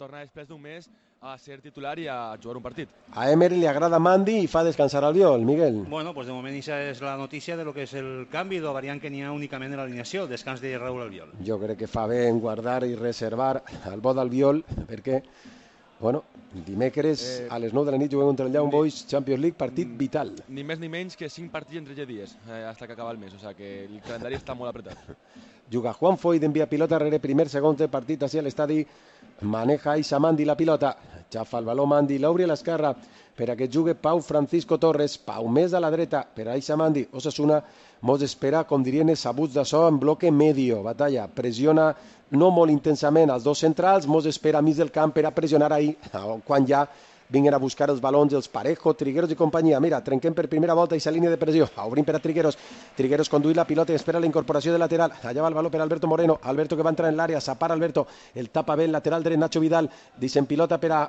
torna després d'un mes a ser titular i a jugar un partit. A Emery li agrada Mandy i fa descansar Albiol, Miguel. Bueno, pues de moment això és la notícia de lo que és el canvi de la variant que n'hi ha únicament en l'alineació, el descans de Raúl Albiol. Jo crec que fa bé en guardar i reservar el bo d'Albiol, perquè, bueno, dimecres a les 9 de la nit juguem contra el Young Boys Champions League, partit vital. Ni més ni menys que 5 partits en 13 dies, hasta que acaba el mes, o sea que el calendari està molt apretat. Juga Juan Foyt, envia pilota rere primer, segon de partit hacia l'estadi, maneja Isa Mandi la pilota, xafa el baló Mandi, l'obri a l'esquerra per a que jugui Pau Francisco Torres, Pau més a la dreta per a Isa Mandi, Osasuna mos espera, com dirien els sabuts d'açò, en bloque medio, batalla, pressiona no molt intensament als dos centrals, mos espera a mig del camp per a pressionar ahir, quan ja vinguen a buscar els balons els Parejo, Trigueros i companyia. Mira, trenquem per primera volta aquesta línia de pressió. Obrim per a Trigueros. Trigueros conduït la pilota i espera la incorporació de lateral. Allà va el baló per Alberto Moreno. Alberto que va entrar en l'àrea. S'apara Alberto. El tapa bé el lateral dret Nacho Vidal. Dicen pilota per a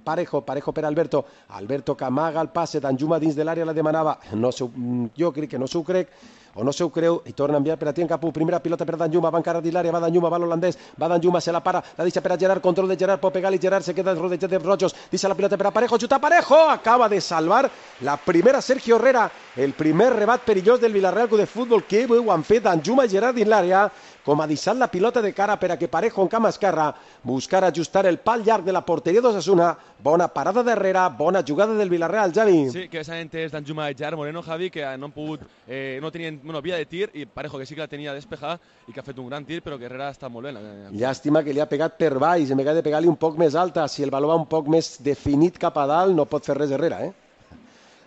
Parejo. Parejo per a Alberto. Alberto que amaga el passe. Danjuma dins de l'àrea la demanava. No, jo crec que no s'ho crec. O no se ho creu i torna a enviar per a Tien Capú, primera pilota per Danjuma, va encara dins l'àrea, va Danjuma, va l'holandès, va Danjuma, se la para, la deixa per a Gerard, control de Gerard, pot pegar-li Gerard, se queda rodejat de rojos, deixa la pilota per a Parejo, xuta Parejo, acaba de salvar la primera Sergio Herrera, el primer rebat perillós del Villarreal Club de Futbol, que bé ho han fet Danjuma i Gerard dins l'àrea, com a deixar la pilota de cara per a que Parejo en camp esquerra buscar ajustar el pal llarg de la porteria d'Osasuna. Bona parada d'Herrera, bona jugada del Villarreal, Javi. Sí, que s'han entès Danjuma i Gerard Moreno, Javi, que no han pogut, no tenien via de tir, i Parejo que sí que la tenia despejar i que ha fet un gran tir, però que Herrera està molt bé. Llàstima que li ha pegat per baix, en vegada de pegar-li un poc més alta, si el baló va un poc més definit cap a dalt, no pot fer res Herrera,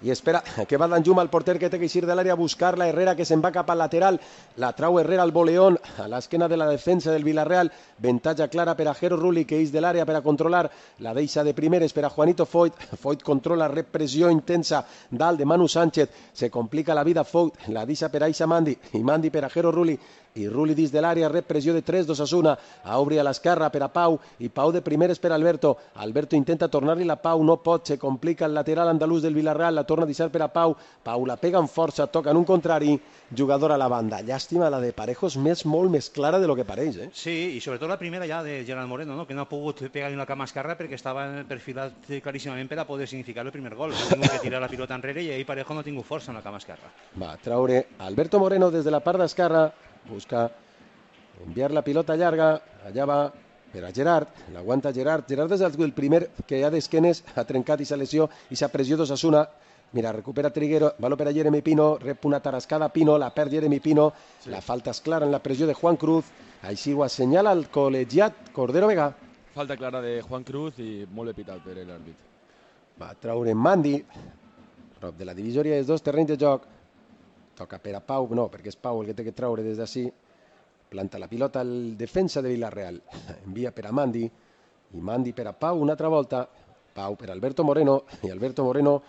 I espera que va Danjuma, el porter que té que eixir de l'àrea a buscar-la, Herrera que se'n va cap al lateral, la trau Herrera al voleón, a l'esquena de la defensa del Villarreal, ventatge clara per a Jero Rulli que eix de l'àrea per a controlar, la deixa de primeres per a Juanito Foyt, Foyt controla, repressió intensa dalt de Manu Sánchez, se complica la vida Foyt, la deixa per a Isa Mandi, i Mandi per a Jero Rulli, i Rulli dins de l'àrea, repressió de 3 d'Osasuna, a obrir a l'esquerra per a Pau, i Pau de primeres per a Alberto, Alberto intenta tornar-li la Pau, no pot, se complica el lateral andalús del Villarreal, la torna a deixar per a Pau, Pau la pega amb força, toca en un contrari, jugador a la banda. Llàstima, la de Parejo és molt més clara de lo que pareix, Sí, i sobretot la primera ja de Gerard Moreno, no? Que no ha pogut pegar-li la cama esquerra perquè estava perfilat claríssimament per a poder significar el primer gol. Ha tingut que tirar la pilota enrere i ahir Parejo no ha tingut força en la cama esquerra. Va traure Alberto Moreno des de la part d'esquerra, busca enviar la pilota llarga, allà va per a Gerard, l'aguanta Gerard és el primer que ja d'esquenes ha trencat i s'ha lesió i s'ha pressió d'Osasuna. Mira, recupera Triguero, baló per a Jeremy Pino, rep una tarascada Pino, la perd Jeremy Pino, sí. La falta és clara en la pressió de Juan Cruz, així ho assenyala el col·legiat Cordero Vega. Falta clara de Juan Cruz i molt bé pitat per l'àrbit. Va traure Mandi, prop de la divisòria dels dos terrenys de joc, toca per a Pau, no, perquè és Pau el que té que traure des d'ací, planta la pilota al defensa de Villarreal, envia per a Mandi, i Mandi per a Pau una altra volta, Pau per Alberto Moreno, i Alberto Moreno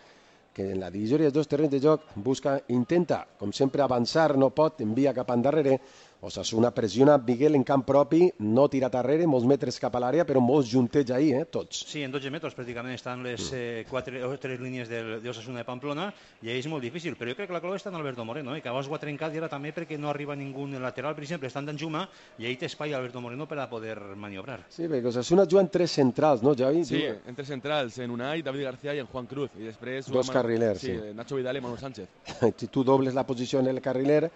que en la divisòria dels dos terrenys de joc busca, intenta, com sempre, avançar, no pot, envia cap endarrere, Osasuna pressiona Miguel en camp propi, no tira darrere, molts metres cap a l'àrea, però molts juntets ahir, tots. Sí, en 12 metres pràcticament estan les 3 línies d'Osasuna de Pamplona, i ahir és molt difícil, però jo crec que la clau està en Alberto Moreno, que abans ho ha trencat i ara també perquè no arriba ningú lateral, per exemple, està en Danjuma, i ahir té espai Alberto Moreno per a poder maniobrar. Sí, perquè Osasuna juga en 3 centrals, no, Javi? Sí, en 3 centrals, en Unai, David García i en Juan Cruz, i després... Dos carrilers, sí. Nacho Vidal i Manu Sánchez. Si tu dobles la posició en el carriler,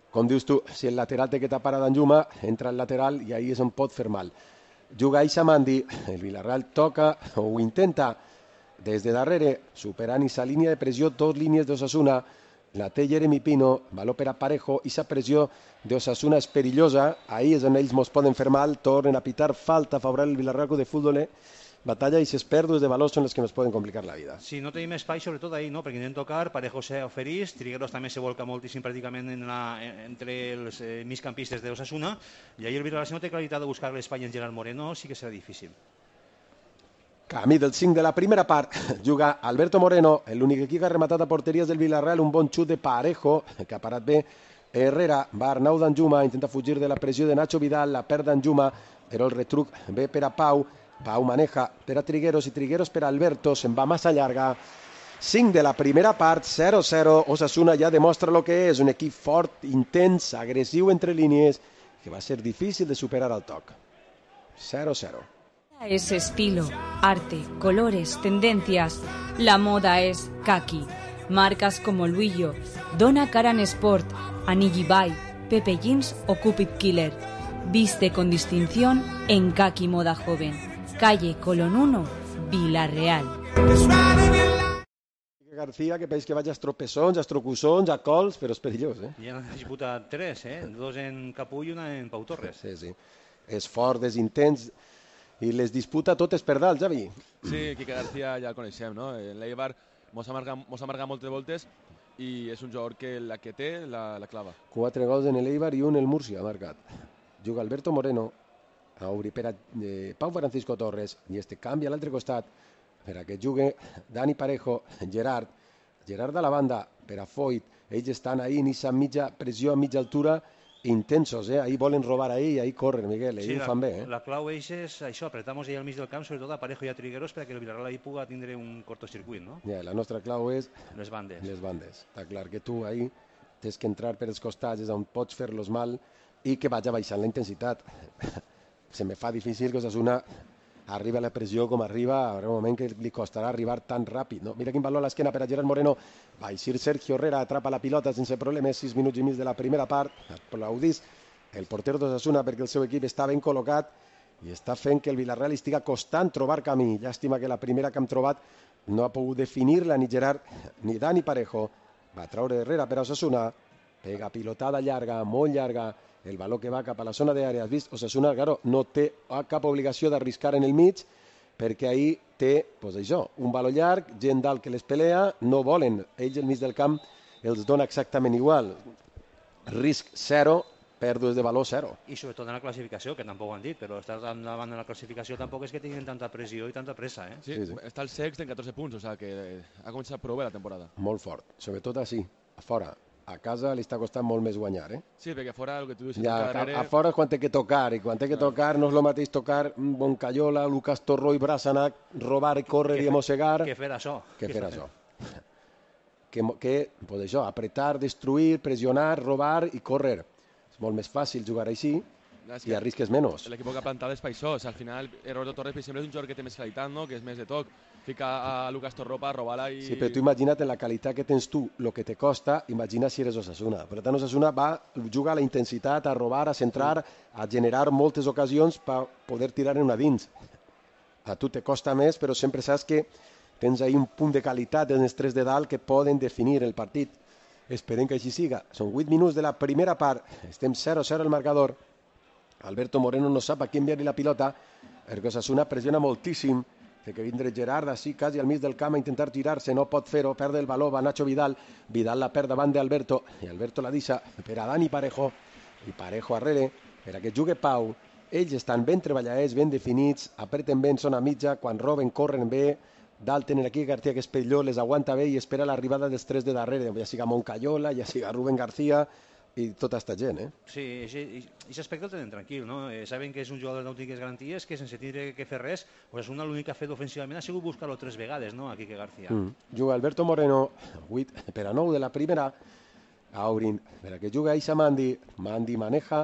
com dius tu, si el lateral té que tapar a Danjuma, entra el lateral i ahí és on pot fer mal. Juga Isa Mandi, el Villarreal toca o ho intenta des de darrere, superant aquesta línia de pressió, 2 línies d'Osasuna, la té Jeremy Pino, valor per a Parejo, i aquesta pressió d'Osasuna és perillosa, ahí és on ells mos poden fer mal, tornen a pitar falta favorable al Villarreal Club de Futbol, batalla i ses pèrdues de valors són les que ens poden complicar la vida. Sí, no tenim espai, sobretot ahir, no? Perquè intenten tocar, Parejo s'ofereix, Trigueros també se volca moltíssim pràcticament entre els migcampistes d'Osasuna, i ahir el Villarreal, si no té claritat de buscar l'espai en Gerard Moreno, sí que serà difícil. Camí del 5 de la primera part, juga Alberto Moreno, l'únic equip que ha rematat a porteries del Villarreal, un bon xut de Parejo, que ha parat bé Herrera, va Arnau Danjuma, intenta fugir de la pressió de Nacho Vidal, la perd Danjuma, però el retruc ve per a Pau, Pau maneja per a Trigueros i Trigueros per a Alberto, se'n va massa llarga. 5 de la primera part, 0-0. Osasuna ja demostra el que és, un equip fort, intens, agressiu entre línies, que va ser difícil de superar al toc. 0-0. Es estilo, arte, colores, tendencias. La moda es kaki. Marcas como Luillo, Donna Karan Sport, Anigi Bai, Pepe Jeans o Cupid Killer. Viste con distinción en Kaki Moda Joven. Calle Colón 1, Vila-real. García, que veig que vaig a tropezons, a trocussons, a cols, però és perillós, eh? Ja n'ha disputat 3, dos en Capú i una en Pau Torres. Sí, sí. És fort, és intens, i les disputa totes per dalt, Javi. Sí, Quique García ja el coneixem, no? L'Eibar mos ha marcat moltes voltes i és un jugador que la que té la clava. 4 gols en l'Eibar i un en el Múrcia ha marcat. Juga Alberto Moreno, a obrir per a Pau Francisco Torres, i este canvia a l'altre costat per a que jugui Dani Parejo, Gerard a la banda per a Foyt. Ells estan ahí en aquesta mitja pressió a mitja altura, intensos, ahí volen robar ahí, ahí corren, Miguel, ahí ho fan bé. La clau és això, apretamos ahí al mig del camp, sobretot a Parejo i a Trigueros, perquè el Villarreal ahí puga tindre un cortocircuit, no? Ja, la nostra clau és les bandes. Les bandes. Està clar que tu ahí tens que entrar per els costats, és on pots fer-los mal i que vaig baixant la intensitat. Se me fa difícil que Osasuna arriba a la pressió com arriba, haurà un moment que li costarà arribar tan ràpid. No? Mira quin valor a l'esquena per a Gerard Moreno. Va eixir Sergio Herrera, atrapa la pilota sense problemes, 6 minuts i mig de la primera part. Aplaudís el porter d'Osasuna perquè el seu equip està ben col·locat i està fent que el Villarreal estigui costant trobar camí. Llàstima que la primera que hem trobat no ha pogut definir-la ni Gerard ni Dani Parejo. Va traure Herrera per a Osasuna, pega pilotada llarga, molt llarga, el valor que va cap a la zona d'àrea. Has vist? Osasuna, claro, no té cap obligació d'arriscar en el mig perquè ahí té, pues això, un valor llarg, gent dalt que les pelea, no volen. Ells el mig del camp els dona exactament igual. Risc 0, pèrdues de valor 0. I sobretot en la classificació, que tampoc ho han dit, però estar davant de la classificació tampoc és que tinguin tanta pressió i tanta pressa, eh? Sí, està el sext en 14 punts, o sigui que ha començat prou bé la temporada. Molt fort, sobretot així, a fora. A casa li està costant molt més guanyar, eh? Sí, perquè fora el que tu dius... Ja, a fora és quan té que tocar, i quan té que tocar no és el mateix tocar Boncayola, Lucas Torró i Brasanac, robar i córrer i mossegar... Que fer això. Que fer això. Que, pues això, apretar, destruir, pressionar, robar i córrer. És molt més fàcil jugar així i arrisques menys. L'equip que ha plantat és per això. Al final, Roberto Torres, per exemple, és un jugador que té més qualitat, no? Que és més de toc. Fica a Lucas Torró per robar-la i... Sí, però tu imagina't en la qualitat que tens tu, el que te costa, imagina si eres Osasuna. Per tant, Osasuna juga a la intensitat, a robar, a centrar, a generar moltes ocasions per poder tirar en una dins. A tu te costa més, però sempre saps que tens ahí un punt de qualitat en els tres de dalt que poden definir el partit. Esperem que així siga. Són 8 minuts de la primera part. Estem 0-0 al marcador. Alberto Moreno no sap a qui enviar-li la pilota, perquè Osasuna pressiona moltíssim. Té que vindre Gerard així quasi al mig del camp a intentar tirar-se, no pot fer-ho, perde el valor, va Nacho Vidal la perd davant d'Alberto, i Alberto la deixa per a Dani Parejo, i Parejo arrere, per a que jugui Pau. Ells estan ben treballadets, ben definits, apreten bé en zona mitja, quan roben, corren bé, dalt tenen aquí García, que és perillós, les aguanta bé i espera l'arribada dels tres de darrere, ja siga Moncayola, ja siga Rubén García, i tota aquesta gent, eh? Sí, i aquest aspecte el tenen tranquil, no? Saben que és un jugador d'autèntiques garanties, que sense tindre que fer res, Osasuna l'únic que ha fet ofensivament ha sigut buscar-lo 3 vegades, no?, a Quique García. Juga Alberto Moreno, 8 per a 9 de la primera, obrin per a que juga Aisha Mandi maneja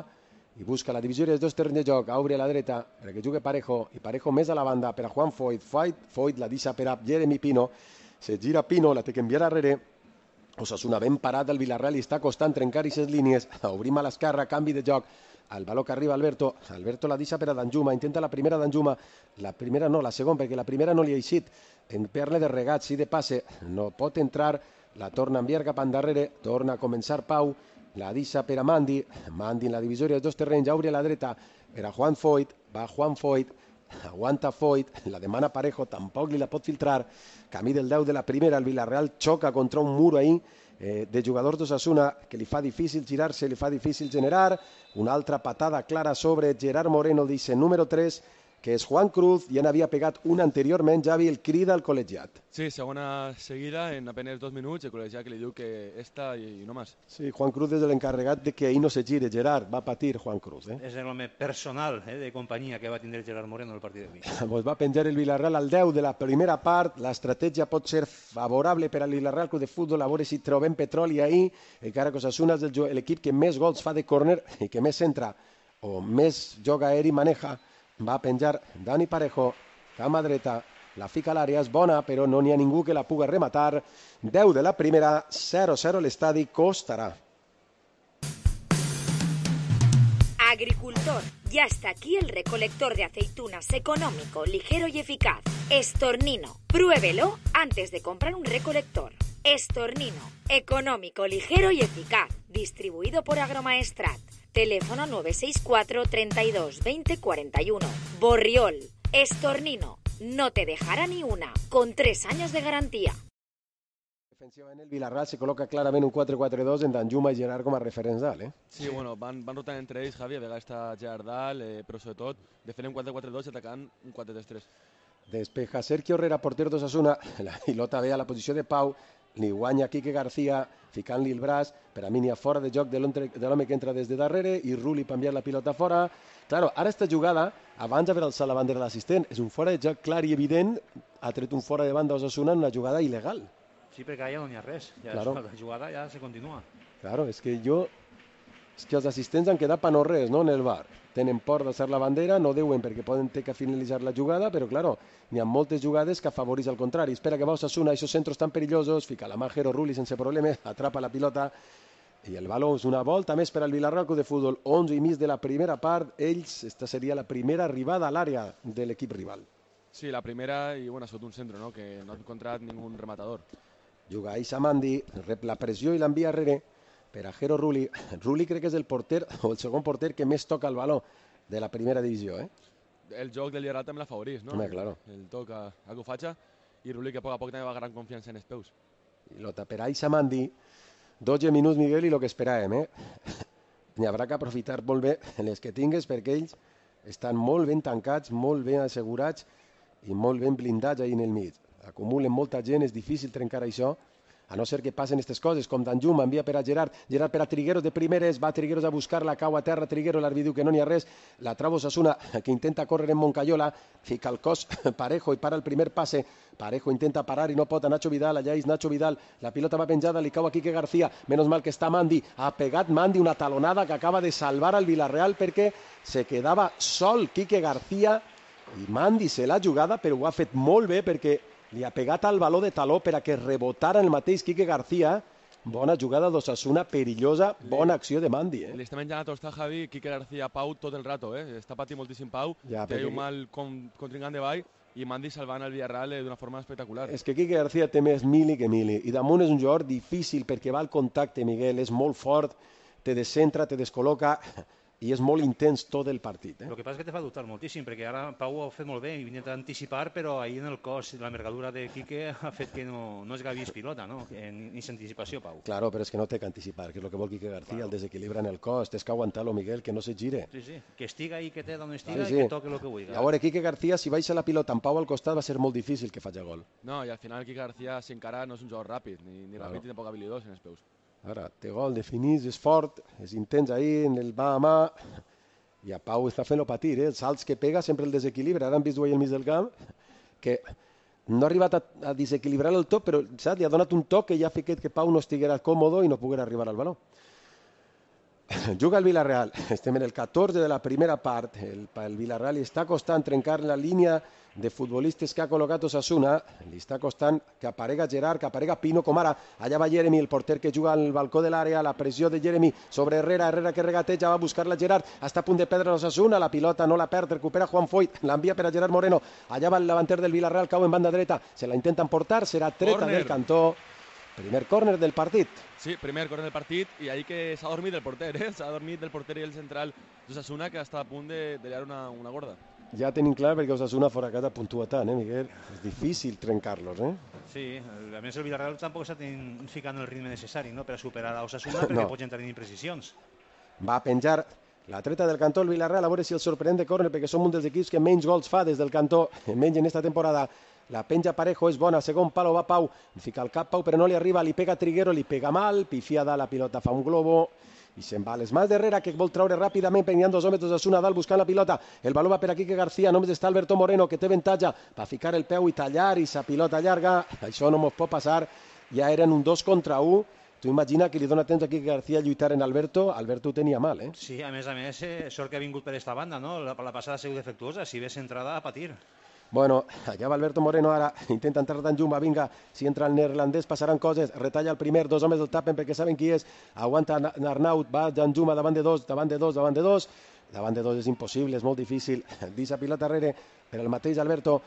i busca la divisió dels dos terrenys de joc, obre a la dreta per a que jugui Parejo, i Parejo més a la banda per a Juan Foyt la deixa per a Jeremy Pino, se gira Pino, la té que enviar darrere. Osasuna ben parat del Villarreal i està costant trencar aquestes línies. Obrim a l'esquerra, canvi de joc. El valor que arriba Alberto la deixa per a Danjuma, intenta la primera Danjuma, la primera no, la segona, perquè la primera no li ha eixit. En perle de regat, sí de passe, no pot entrar, la torna a enviar cap endarrere, torna a començar Pau, la deixa per a Mandi en la divisòria dels dos terrenys, obre a la dreta per a Juan Foyt, va Juan Foyt, aguanta Foyt, la demana Parejo, tampoc li la pot filtrar, camí del 10 de la primera, el Villarreal xoca contra un mur ahí de jugadors d'Osasuna que li fa difícil girar-se, li fa difícil generar, una altra patada clara sobre Gerard Moreno, dice número 3, que és Juan Cruz, ja n'havia pegat una anteriorment, Javi, el crida al col·legiat. Sí, segona seguida, en apenas 2 minuts, el col·legiat que li diu que esta i no més. Sí, Juan Cruz és l'encarregat de que ahir no se gire, Gerard, va patir Juan Cruz. És l'home personal de companyia que va tindre Gerard Moreno el partit d'avui. Pues va penjar el Villarreal al 10 de la primera part, l'estratègia pot ser favorable per al Villarreal Club de Futbol, a veure si trobem petroli ahir, encara que Osasuna és l'equip que més gols fa de córner i que més centra o més joc aeri maneja Va a penjar Dani Parejo, cama dreta, la fica a l'àrea, és bona, però no n'hi ha ningú que la puga rematar. 10 de la primera, 0-0 l'estadi Costarà. Agricultor, ya está aquí el recolector de aceitunas económico, ligero y eficaz. Estornino, pruébelo antes de comprar un recolector. Estornino, económico, ligero y eficaz. Distribuido por Agromaestrat. Teléfono 964 32 20 41. Borriol, Estornino, no te dejará ni una, con 3 años de garantía. Defensivament el Vilarral se col·loca clarament un 4-4-2 en Danjuma i Gerard com a referents dalt. Sí, bueno, van rotant entre ells, Javi, a vegades està Gerard dalt, però sobretot defenen un 4-4-2 i atacant un 4-3-3. Despeja Sergio Herrera, porter d'Osasuna, la pilota ve a la posició de Pau, li guanya Quique García, ficant-li el braç, per a mi n'hi ha fora de joc de l'home que entra des de darrere, i Rulli per enviar la pilota fora. Claro, ara esta jugada, abans d'haver alçat la bandera de l'assistent, és un fora de joc clar i evident, ha tret un fora de banda a Osasuna en una jugada il·legal. Sí, perquè allà no n'hi ha res, ja claro. La jugada ja se continua. Claro, és que els assistents han quedat per no res, no?, en el bar. Tenen por d'alçar la bandera, no deuen perquè poden ter que finalitzar la jugada, però claro, n'hi ha moltes jugades que afavoreix al contrari. Espera que va Osasuna, esos centros tan perillosos, fica la Majero, Rulli sense problemes, atrapa la pilota i el baló és una volta més per al Vilarral Club de Futbol. 11:30 de la primera part, esta seria la primera arribada a l'àrea de l'equip rival. Sí, la primera i bueno, sota un centre, no?, que no ha encontrat ningú rematador. Juga Aisha Mandi, rep la pressió i l'envia darrere per a Jero Rulli. Rulli crec que és el porter o el segon porter que més toca el baló de la primera divisió. El joc del Vilarral també l'afavorís, no? Home, claro. El toc a Kufacha i Rulli que a poc també va gran confiança en els peus. Pilota per Aisha Mandi, 12 minuts, Miguel, i el que esperàvem. N'hi haurà que aprofitar molt bé les que tingues perquè ells estan molt ben tancats, molt ben assegurats i molt ben blindats ahí en el mig. Acumulen molta gent, és difícil trencar això, a no ser que passen aquestes coses, com Danjuma envia per a Gerard per a Trigueros de primeres, va Trigueros a buscar-la, cau a terra Trigueros, l'àrbitre diu que no n'hi ha res, la trava Osasuna, que intenta córrer en Moncayola, fica el cos Parejo i para el primer passe, Parejo intenta parar i no pot a Nacho Vidal, allà és Nacho Vidal, la pilota va penjada, li cau a Quique García, menos mal que està Mandi, ha pegat Mandi una talonada que acaba de salvar al Villarreal perquè se quedava sol Quique García i Mandi se l'ha jugada, però ho ha fet molt bé perquè li ha pegat al baló de taló per a que rebotara el mateix Quique García. Bona jugada d'Osasuna, perillosa, bona acció de Mandi. Li està menjant a tostar, Javi, Quique García Pau tot el rato. Està patint moltíssim Pau, té un mal contrincant de ball i Mandi salvant el Villarreal d'una forma espectacular. És que Quique García té més mili que mili i damunt és un jugador difícil perquè va al contacte, Miguel, és molt fort, te descentra, te descol·loca i és molt intens tot el partit. El que passa és que te fa dubtar moltíssim, perquè ara Pau ho ha fet molt bé i intenta anticipar, però ahir en el cos, la envergadura de Quique ha fet que no es gavis pilota, no? Ni s'anticipació, Pau. Claro, però és que no té que anticipar, que és el que vol Quique García, el desequilibra en el cos, tens que aguantar-lo, Miguel, que no se gire. Sí, que estiga ahí, que té d'on estiga i que toque el que vulgui. A veure, Quique García, si baixa la pilota amb Pau al costat, va ser molt difícil que faci gol. No, i al final Quique García, si encara no és un jugador ràpid, ni ràpid ni tampoc habilidós en els peus. Ara, té gol, definís, és fort, és intens ahir, en el mà a mà, i a Pau està fent-lo patir, els salts que pega sempre el desequilibra. Ara han vist ahir al mig del camp que no ha arribat a desequilibrar el tot, però saps? Li ha donat un toc que ja ha fet que Pau no estiguera còmodo i no poguera arribar al baló. Juga el Villarreal, estem en el 14 de la primera part, el Villarreal li està costant trencar la línia de futbolistes que ha col·locat Osasuna, li està costant que aparega Gerard, que aparega Pino, com ara, allà va Jeremy, el porter que juga al balcó de l'àrea, la pressió de Jeremy sobre Herrera, Herrera que regateja, va a buscar-la Gerard, està a punt de perdre Osasuna, la pilota no la perd, recupera Juan Foyt, l'envia per a Gerard Moreno, allà va el davanter del Villarreal, cau en banda dreta, se la intenten portar, serà treta del cantó. Primer córner del partit. Sí, primer córner del partit i ahir que s'ha dormit el porter, s'ha dormit el porter i el central d'Osasuna que està a punt de liar una gorda. Ja tenim clar perquè Osasuna fora casa puntua tant, Miguel? És difícil trencar-los, Sí, a més el Villarreal tampoc està ficant el ritme necessari, no?, per a superar a Osasuna perquè pot entrar en imprecisions. Va a penjar la treta del cantó el Villarreal, a veure si el sorprèn de córner perquè som un dels equips que menys gols fa des del cantó, menys en esta temporada. La penja Parejo és bona, segon palo va Pau, fica el cap Pau però no li arriba, li pega Triguero, li pega mal, pifiada, la pilota fa un globo i se'n va a les mans d'Herrera que vol treure ràpidament, penjant 2 homes d'Osasuna dalt buscant la pilota, el baló va per aquí que García, només està Alberto Moreno que té avantatge, va ficar el peu i tallar i sa pilota llarga, això no mos pot passar, ja eren un 2 contra 1, Tu imagina que li dona temps aquí que García lluitar en Alberto ho tenia mal, eh? Sí, a més, sort que ha vingut per esta banda, no? La passada ha sigut defectuosa, si ves entrada a patir. Bueno, allà va Alberto Moreno, ara intenta entrar Danjuma, vinga, si entra el neerlandès passaran coses, retalla el primer, dos homes el tapen perquè saben qui és, aguanta Arnaut, va Danjuma davant de dos, és impossible, és molt difícil, deixa pilota darrere per el mateix Alberto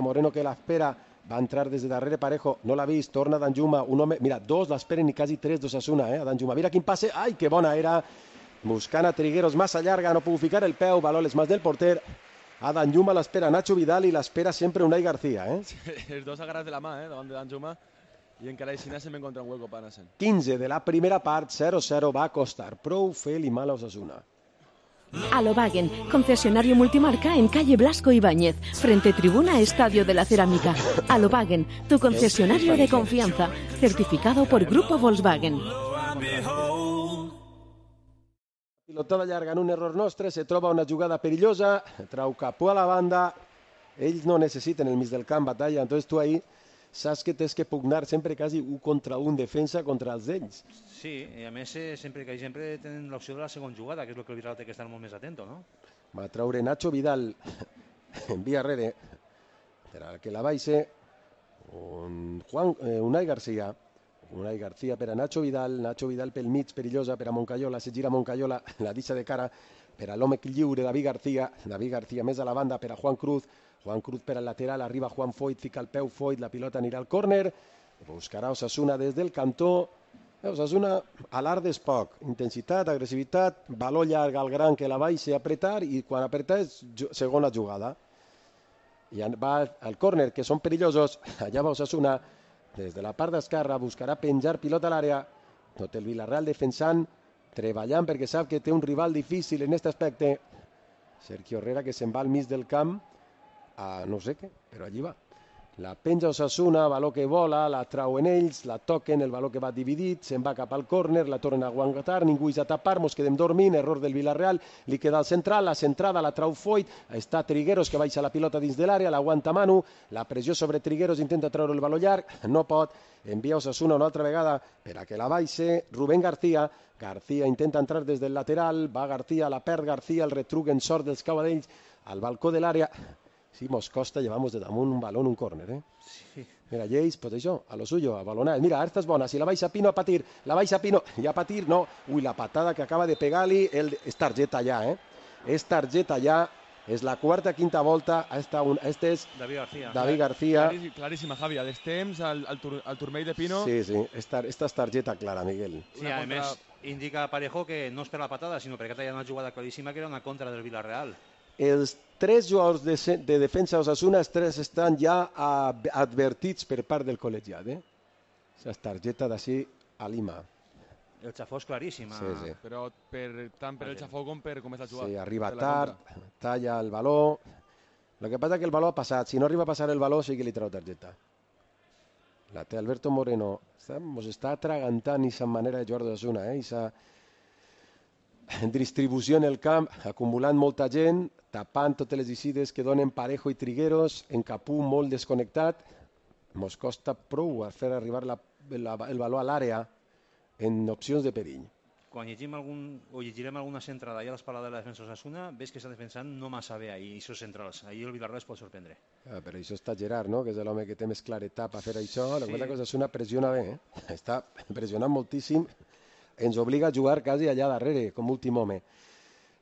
Moreno que l'espera, va entrar des de darrere Parejo, no l'ha vist, torna Danjuma, un home, mira, dos l'esperen i quasi tres d'Osasuna, a Danjuma, mira quin passe, ai, que bona era, buscant a Trigueros, massa llarga, no puc ficar el peu, baló les mans del porter, a Danjuma l'espera Nacho Vidal i l'espera sempre Unai García, Sí, els dos agarrats de la mà, davant de Danjuma, i encara així se m'encontra un hueco per anar-se'n. 15 de la primera part, 0-0 va costar prou fer-li mal a Osasuna. Alobagen, concesionario multimarca en calle Blasco Ibáñez, frente tribuna Estadio de la Cerámica. Alobagen, tu concesionario de confianza, certificado por Grupo Volkswagen. Pilotada llarga en un error nostre, se troba una jugada perillosa, trau capó a la banda, ells no necessiten el mig del camp, batalla, entonces tu ahí saps que tens que pugnar sempre quasi un contra un, defensa contra els d'ells. Sí, i a més sempre tenen l'opció de la segona jugada, que és el que el Bilbao té que estar molt més atento, no? Va traure Nacho Vidal en via rere, per que la baixe Unai García per a Nacho Vidal pel mig, perillosa per a Moncayola, se gira Moncayola, la deixa de cara per a l'home lliure David García més a la banda per a Juan Cruz per al lateral, arriba Juan Foyt, fica el peu Foyt, la pilota anirà al córner, buscarà Osasuna des del cantó, Osasuna alarde és poc, intensitat, agressivitat, baló llarg al gran que la baixa apretar i quan apretar és segona jugada. I va al córner, que són perillosos, allà va Osasuna, des de la part d'esquerra buscarà penjar pilota a l'àrea, tot el Villarreal defensant, treballant perquè sap que té un rival difícil en aquest aspecte. Sergio Herrera que se'n va al mig del camp, a no sé què, però allí va. La penja Osasuna, baló que vola, la trauen ells, la toquen, el baló que va dividit, se'n va cap al córner, la tornen a aguantar, ningú és a tapar, mos quedem dormint, error del Villarreal, li queda al central, la centrada, la trau Foyt, està Trigueros que baixa la pilota dins de l'àrea, l'aguanta Manu, la pressió sobre Trigueros, intenta treure el baló llarg, no pot, envia Osasuna una altra vegada per a que la baixe Rubén García intenta entrar des del lateral, va García, la perd García, el retruc en sort dels cavadells al balcó de l'àrea. Sí, mos costa, llevamos de damunt un balón, un córner, eh? Sí. Mira, Lleis, pues això, a lo suyo, a balonar. Mira, esta és bona, si la baixa Pino a patir, la baixa Pino, ja a patir, no. Ui, la patada que acaba de pegar-li, és targeta ja, eh? És targeta ja, és la quarta, quinta volta, este és David García. Claríssima, Javi, a les temps, al turmell de Pino. Sí, esta és targeta clara, Miguel. Sí, a més, indica Parejo que no és per la patada, sinó perquè hi ha una jugada claríssima que era una contra del Villarreal. Els tres jugadors de defensa d'Osasuna, els tres estan ja advertits per part del col·legiat. La targeta d'ací a Lima. El xafó és claríssima. Sí. Però tant per el xafó com per com és la jugada. Sí, arriba tard, talla el baló. El que passa és que el baló ha passat. Si no arriba a passar el baló, sí que li trau targeta. La té Alberto Moreno. Ens està atragantant aquesta manera de jugar d'Osasuna. Aquesta distribució en el camp, acumulant molta gent, tapant totes les eixides que donen Parejo i Trigueros, en Capú molt desconnectat. Mos costa prou a fer arribar el baló a l'àrea en opcions de perill. Quan llegirem alguna centrada i a l'espalda de la defensa d'Osasuna, ves que està defensant no massa bé ahir, aquests centrals. Ahir el Villarreal es pot sorprendre. Però això està Gerard, no? Que és l'home que té més claretat per fer això. La cosa que Osasuna pressiona bé, està pressionant moltíssim. Ens obliga a jugar quasi allà darrere, com últim home.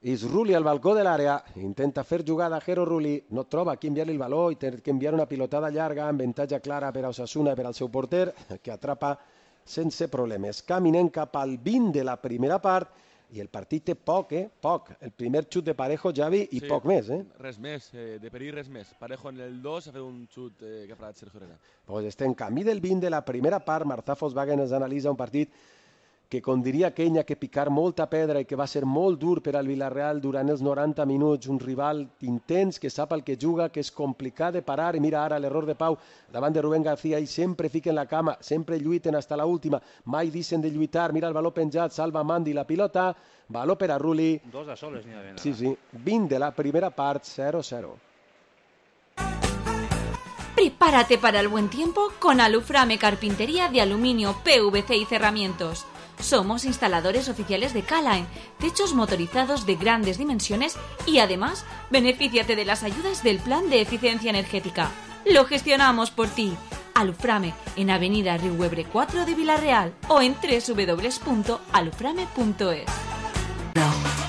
És Rulli al balcó de l'àrea, intenta fer jugada Jero Rulli, no troba qui enviar-li el baló i té que enviar una pilotada llarga, avantatge clara per a Osasuna i per al seu porter, que atrapa sense problemes. Caminem cap al 20 de la primera part i el partit té poc. El primer xut de Parejo, Javi, i poc més. Res més, de perill res més. Parejo en el 2 ha fet un xut que ha parat Sergio Herrera. Pues estem en camí del 20 de la primera part, Martha Volkswagen ens analitza un partit que com diria aquell, ha que picar molta pedra i que va ser molt dur per al Villarreal durant els 90 minuts, un rival intens que sap el que juga, que és complicat de parar, i mira ara l'error de Pau davant de Rubén García, i sempre fiquen la cama, sempre lluiten hasta la última, mai deixen de lluitar, mira el baló penjat, salva Mandi la pilota, baló per a Rulli. 2 a soles n'hi ha d'haver. Sí, 20 de la primera part, 0-0. Prepárate para el buen tiempo con Aluframe Carpintería de Aluminio, PVC y Cerramientos. Somos instaladores oficiales de K-Line, techos motorizados de grandes dimensiones y además benefíciate de las ayudas del Plan de Eficiencia Energética. Lo gestionamos por ti. Aluframe en Avenida Riuebre 4 de Villarreal o en www.aluframe.es.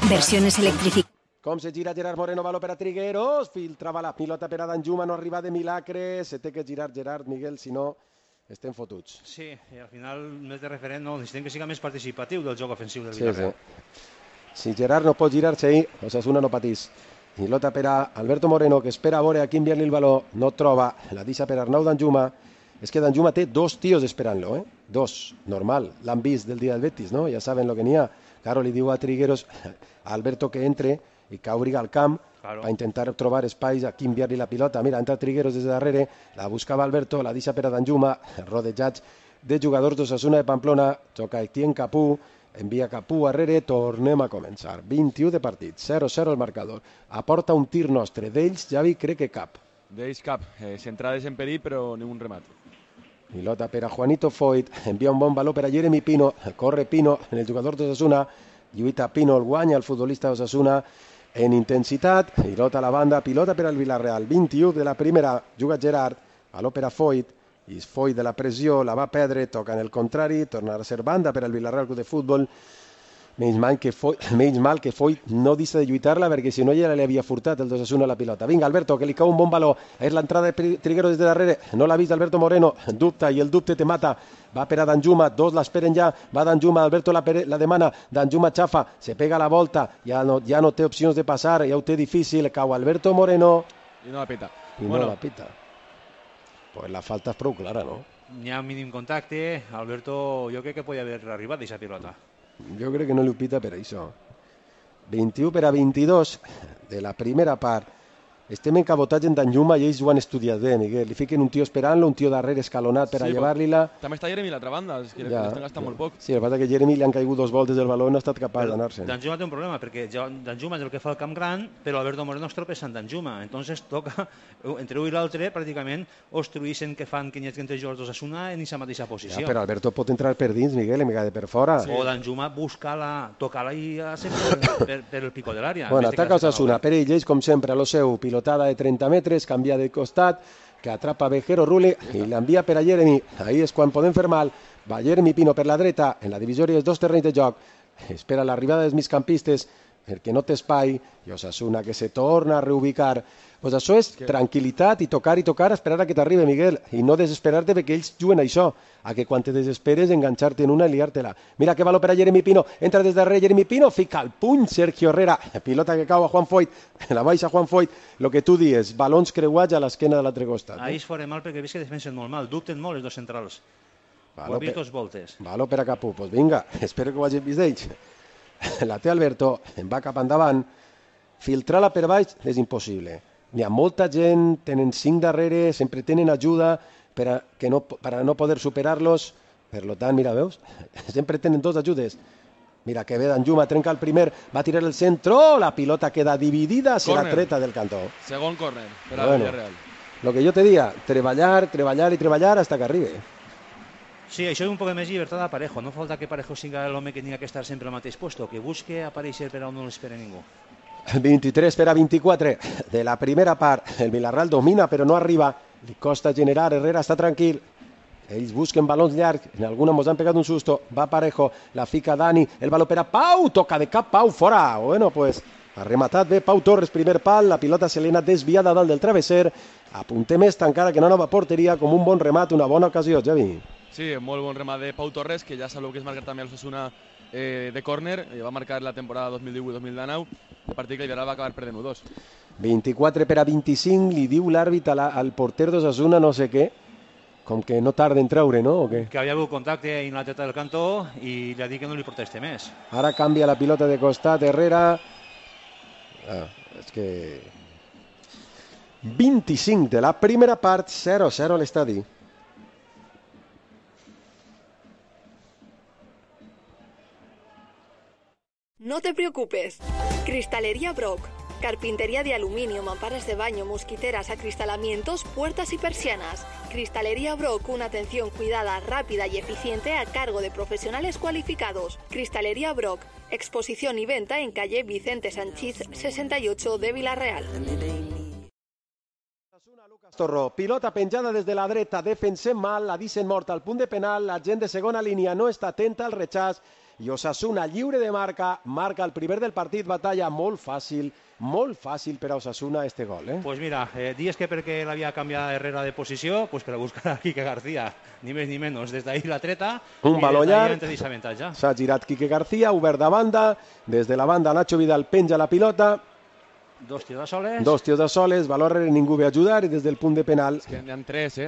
Versiones electrificadas. Com se gira Gerard Moreno, baló per a Trigueros, filtrava la pilota per a Danjuma, no arriba de milagre, se té que girar Gerard, Miguel, si no estem fotuts. Sí, i al final més de referent no, necessitem que siga més participatiu del joc ofensiu del Sí, Villarreal. sí. Si Gerard no pot girar-se ahí, Osasuna no patís. Pilota per a Alberto Moreno, que espera a veure a qui enviar-li el baló, no troba, la deixa per Arnau Danjuma. És que Danjuma té dos tios esperant-lo, eh? Dos, normal, l'han vist del dia del Betis, no? Ja saben lo que n'hi ha. Claro, li diu a Trigueros, a Alberto que entre i que obri al camp per intentar trobar espais a qui enviar-li la pilota. Mira, entra Trigueros des de darrere, la buscava Alberto, la deixa per a Danjuma, rodejats de jugadors d'Osasuna de Pamplona, xoca Etienne Capú, envia Capú arrere, tornem a començar. 21 de partit, 0-0 el marcador. Aporta un tir nostre, d'ells Javi crec que cap. D'ells cap, centrades en perill però ni un remat. Pilota per a Juanito Foyt, envia un bon baló per a Jeremy Pino, corre Pino, el jugador d'Osasuna, lluita Pino, el guanya el futbolista d'Osasuna en intensitat, pilota a la banda, pilota per al Villarreal, 21 de la primera, juga Gerard, baló per a Foyt, i Foyt de la pressió, la va perdre, toca en el contrari, tornarà a ser banda per al Villarreal Club de Futbol. Menys mal que Foyt no deixa de lluitar-la perquè si no ja li havia furtat el d'Osasuna la pilota. Vinga, Alberto, que li cau un bon baló. És l'entrada de Trigueros des de darrere. No l'ha vist Alberto Moreno. Dubta i el dubte te mata. Va per a Danjuma. Dos l'esperen ja. Va Danjuma. Alberto la demana. Danjuma xafa. Se pega la volta. Ja no té opcions de passar. Ja ho té difícil. Cau Alberto Moreno. I no la pita. I no la pita. Pues la falta és prou clara, no? N'hi ha un mínim contacte. Alberto, jo crec que podia haver arribat d'aquesta pilota. Jo crec que no li ho pita per això. 21 per a 22 de la primera part. Estem en cabotatge en Danjuma i ells ho han estudiat bé, Miguel. Li fiquen un tio esperant-lo, un tio darrere escalonat per a llevar-li-la. També està Jeremy a l'altra banda, és que l'estan gastant molt poc. Sí, el que passa que Jeremy li han caigut dos voltes del baló i no ha estat capaç d'anar-se'n. Danjuma té un problema, perquè Danjuma és el que fa el camp gran, però Alberto Moreno es tropeza en Danjuma. Entonces toca, entre un i l'altre, pràcticament obstruïssin que fan 500 jugadors d'Osasuna en aquesta mateixa posició. Ja, però Alberto pot entrar per dins, Miguel, en vegada per fora. Sí. O Danjuma busca tocar-la i sempre per el pico de l'àrea. Bueno, ataca Osasuna, per ells, com sempre, a lo seu, pilotada de 30 metres, canvia de costat, que atrapa Vejero Rule i l'envia per a Jeremy. Ahí és quan podem fer mal. Va Jeremy Pino per la dreta, en la divisòria dels dos terrenys de joc. Espera l'arribada dels migcampistes perquè no té espai i Osasuna que se torna a reubicar. Pues això és tranquil·litat i tocar, esperar a que t'arribi, Miguel, i no desesperar-te perquè ells juguen això, a que quan te desesperes enganxar-te en una i liar-te-la. Mira que valor per a Jeremy Pino, entra des darrere Jeremy Pino, fica el puny Sergio Herrera, pilota que cau a Juan Foyt, la baixa Juan Foyt, lo que tu dies, balons creuats a l'esquena de l'altre costat. Ahí es fora mal perquè veus que defensen molt mal, dubten molt els dos centrals. Ho ha vist dos voltes. Valor per a Capú, pues vinga, espero que ho hagin vist d'ells. La té Alberto, en va cap endavant, filtrar-la per baix és impossible. N'hi ha molta gent, tenen 5 darrere, sempre tenen ajuda per a no poder superar-los. Per tant, mira, veus? Sempre tenen dos ajudes. Mira que ve Danjuma, trenca el primer, va a tirar el centro, la pilota queda dividida, serà treta del cantó. Segon córner per al Villarreal. Lo que jo te dia, treballar i treballar hasta que arribi. Sí, això és un poc més llibertat a Parejo. No falta que Parejo siga l'home que n'hi ha que estar sempre al mateix puesto, que busque aparèixer per on no l'espera ningú. 23 per a 24 de la primera part. El Villarreal domina però no arriba. Li costa generar, Herrera està tranquil. Ells busquen balons llargs, en alguna mos han pegat un susto. Va Parejo, la fica Dani, el baló per a Pau, toca de cap Pau, fora. Bueno, pues ha rematat bé Pau Torres, primer pal, la pilota se li ha anat desviada dalt del travesser. Apuntem esta encara que no nova porteria, com un bon remat, una bona ocasió, Javi. Sí, molt bon remat de Pau Torres, que ja sabeu que és marcar també el Osasuna de córner, va marcar la temporada 2018-2019, el partit que el Villarreal va acabar perdent 1-2. 24 per a 25, li diu l'àrbit al porter d'Osasuna no sé què, com que no tarda en treure, no? O què? Que havia hagut contacte en la teta del cantó i li ha dit que no li proteste més. Ara canvia la pilota de costat, Herrera. És que... 25 de la primera part, 0-0 a l'estadi. No te preocupes. Cristalería Brock. Carpintería de aluminio, mamparas de baño, mosquiteras, acristalamientos, puertas y persianas. Cristalería Brock, una atención cuidada, rápida y eficiente a cargo de profesionales cualificados. Cristalería Brock, exposición y venta en calle Vicente Sanchís 68 de Vila-real. Torró, pilota penjada des de la dreta, defensem mal, la deixen morta al punt de penal, la gent de segona línia no està atenta al rechaç i Osasuna lliure de marca el primer del partit, batalla molt fàcil per a Osasuna este gol. Pues mira, dies que perquè l'havia canviat Herrera de posició, pues per a buscar a Quique García, ni més ni menys, des d'ahir la treta, un baló llarg, s'ha girat Quique García, obert de banda, des de la banda Nacho Vidal penja la pilota, dos tios de soles, baló rere, ningú ve a ajudar i des del punt de penal... És que n'hi ha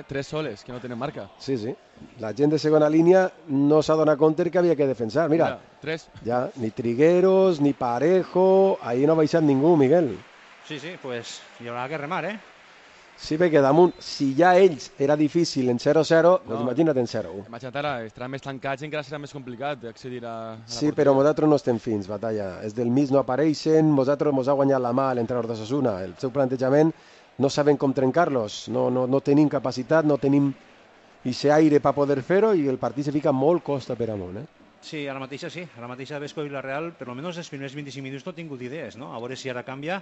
tres soles que no tenen marca. Sí. La gent de segona línia no s'ha donat compte que havia que defensar. Mira, tres. Ja, ni Trigueros, ni Parejo, ahí no ha baixat ningú, Miguel. Sí, pues hi haurà que remar, Sí, perquè damunt, si ja ells era difícil en 0-0, doncs imagina't en 0-1. Imagina't ara, estaran més tancats i encara serà més complicat d'accedir a la Sí, però nosaltres no estem fins, batalla. Els del mig no apareixen, nosaltres ens ha guanyat la mà l'entrenador d'Osasuna. El seu plantejament no sabem com trencar-los, no tenim capacitat, no tenim aquest aire per poder fer-ho i el partit se fica molt costa per amunt, Sí, ara mateix Vesco i Vila-real, per almenys els primers 25 minuts no he tingut idees, no? A veure si ara canvia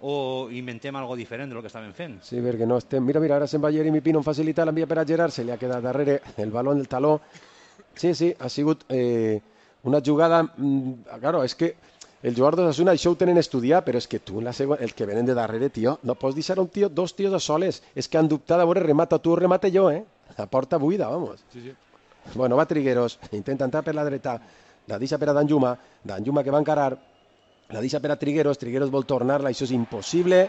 o inventem algo diferent del que estàvem fent. Sí, perquè no estem... Mira, ara se'n va Jeremy Pino, en facilita, l'envia per a Gerard, se li ha quedat darrere el baló en el taló. Sí, ha sigut una jugada... Claro, és que el jugador d'Osasuna això ho tenen estudiat, però és que tu, el que venen de darrere, tio, no pots deixar dos tios a soles. És que han dubtat a veure, remata tu o remata jo, La porta buida, vamos. Sí. Bueno, va Trigueros, intenta entrar per la dreta, la deixa per a Danjuma que va encarar, la deixa per a Trigueros vol tornar-la, això és impossible,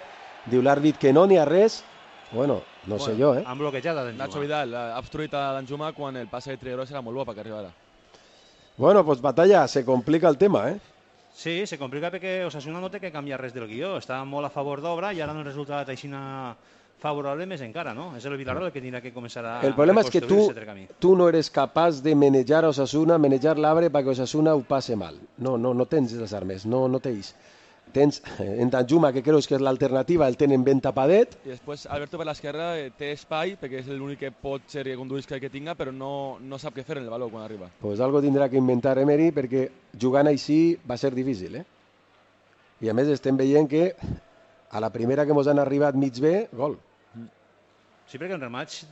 diu l'àrbit que no n'hi ha res, bueno, no sé jo, Han bloquejat a Danjuma. Nacho Vidal ha obstruït a Danjuma quan el passe de Trigueros era molt bo perquè arribara. Bueno, pues batalla, se complica el tema, Sí, se complica perquè Osasuna no té que canviar res del guió, està molt a favor d'obra i ara no el resultat aixina favorable més encara, no? És el Villarreal el que tindrà que començar a el problema és que tu no eres capaç de manejar a Osasuna, manejar l'arbre perquè Osasuna ho passe mal. No tens les armes, no tens. Tens en Danjuma, que creus que és l'alternativa, el tenen ben tapadet. I després Alberto per l'esquerra té espai, perquè és l'únic que pot ser que conduïsca que tinga, però no sap què fer en el baló quan arriba. Pues algo tindrà que inventar Emery, perquè jugant així va ser difícil, I a més estem veient que a la primera que mos han arribat mig bé, gol. Sí, perquè en rematch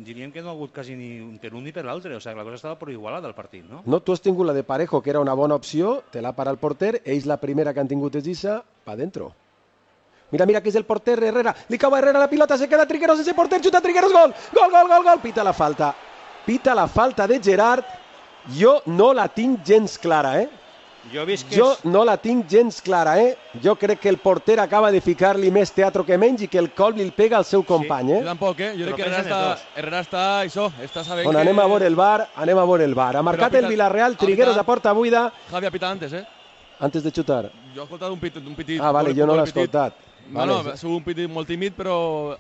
diríem que no ha hagut quasi ni per un ni per l'altre, o sigui, la cosa estava per igualada al partit, no? No, tu has tingut la de Parejo, que era una bona opció, te l'ha parat el porter, ells la primera que han tingut és Issa, pa dentro. Mira que és el porter, Herrera, li cau a Herrera la pilota, se queda Trigueros, sense porter, xuta Trigueros, gol, pita la falta de Gerard, jo no la tinc gens clara, Jo no la tinc gens clara, Jo crec que el porter acaba de ficar-li més teatro que menys i que el col li pega al seu company, Jo tampoc, Jo crec que Herrera està sabent que... Anem a veure el bar. Ha marcat el Villarreal, Trigueros a porta buida. Javi ha pitat antes, Antes de xutar. Jo he escoltat un pitit. Ah, vale, jo no l'he escoltat. No, ha sigut un pitit molt tímid, però...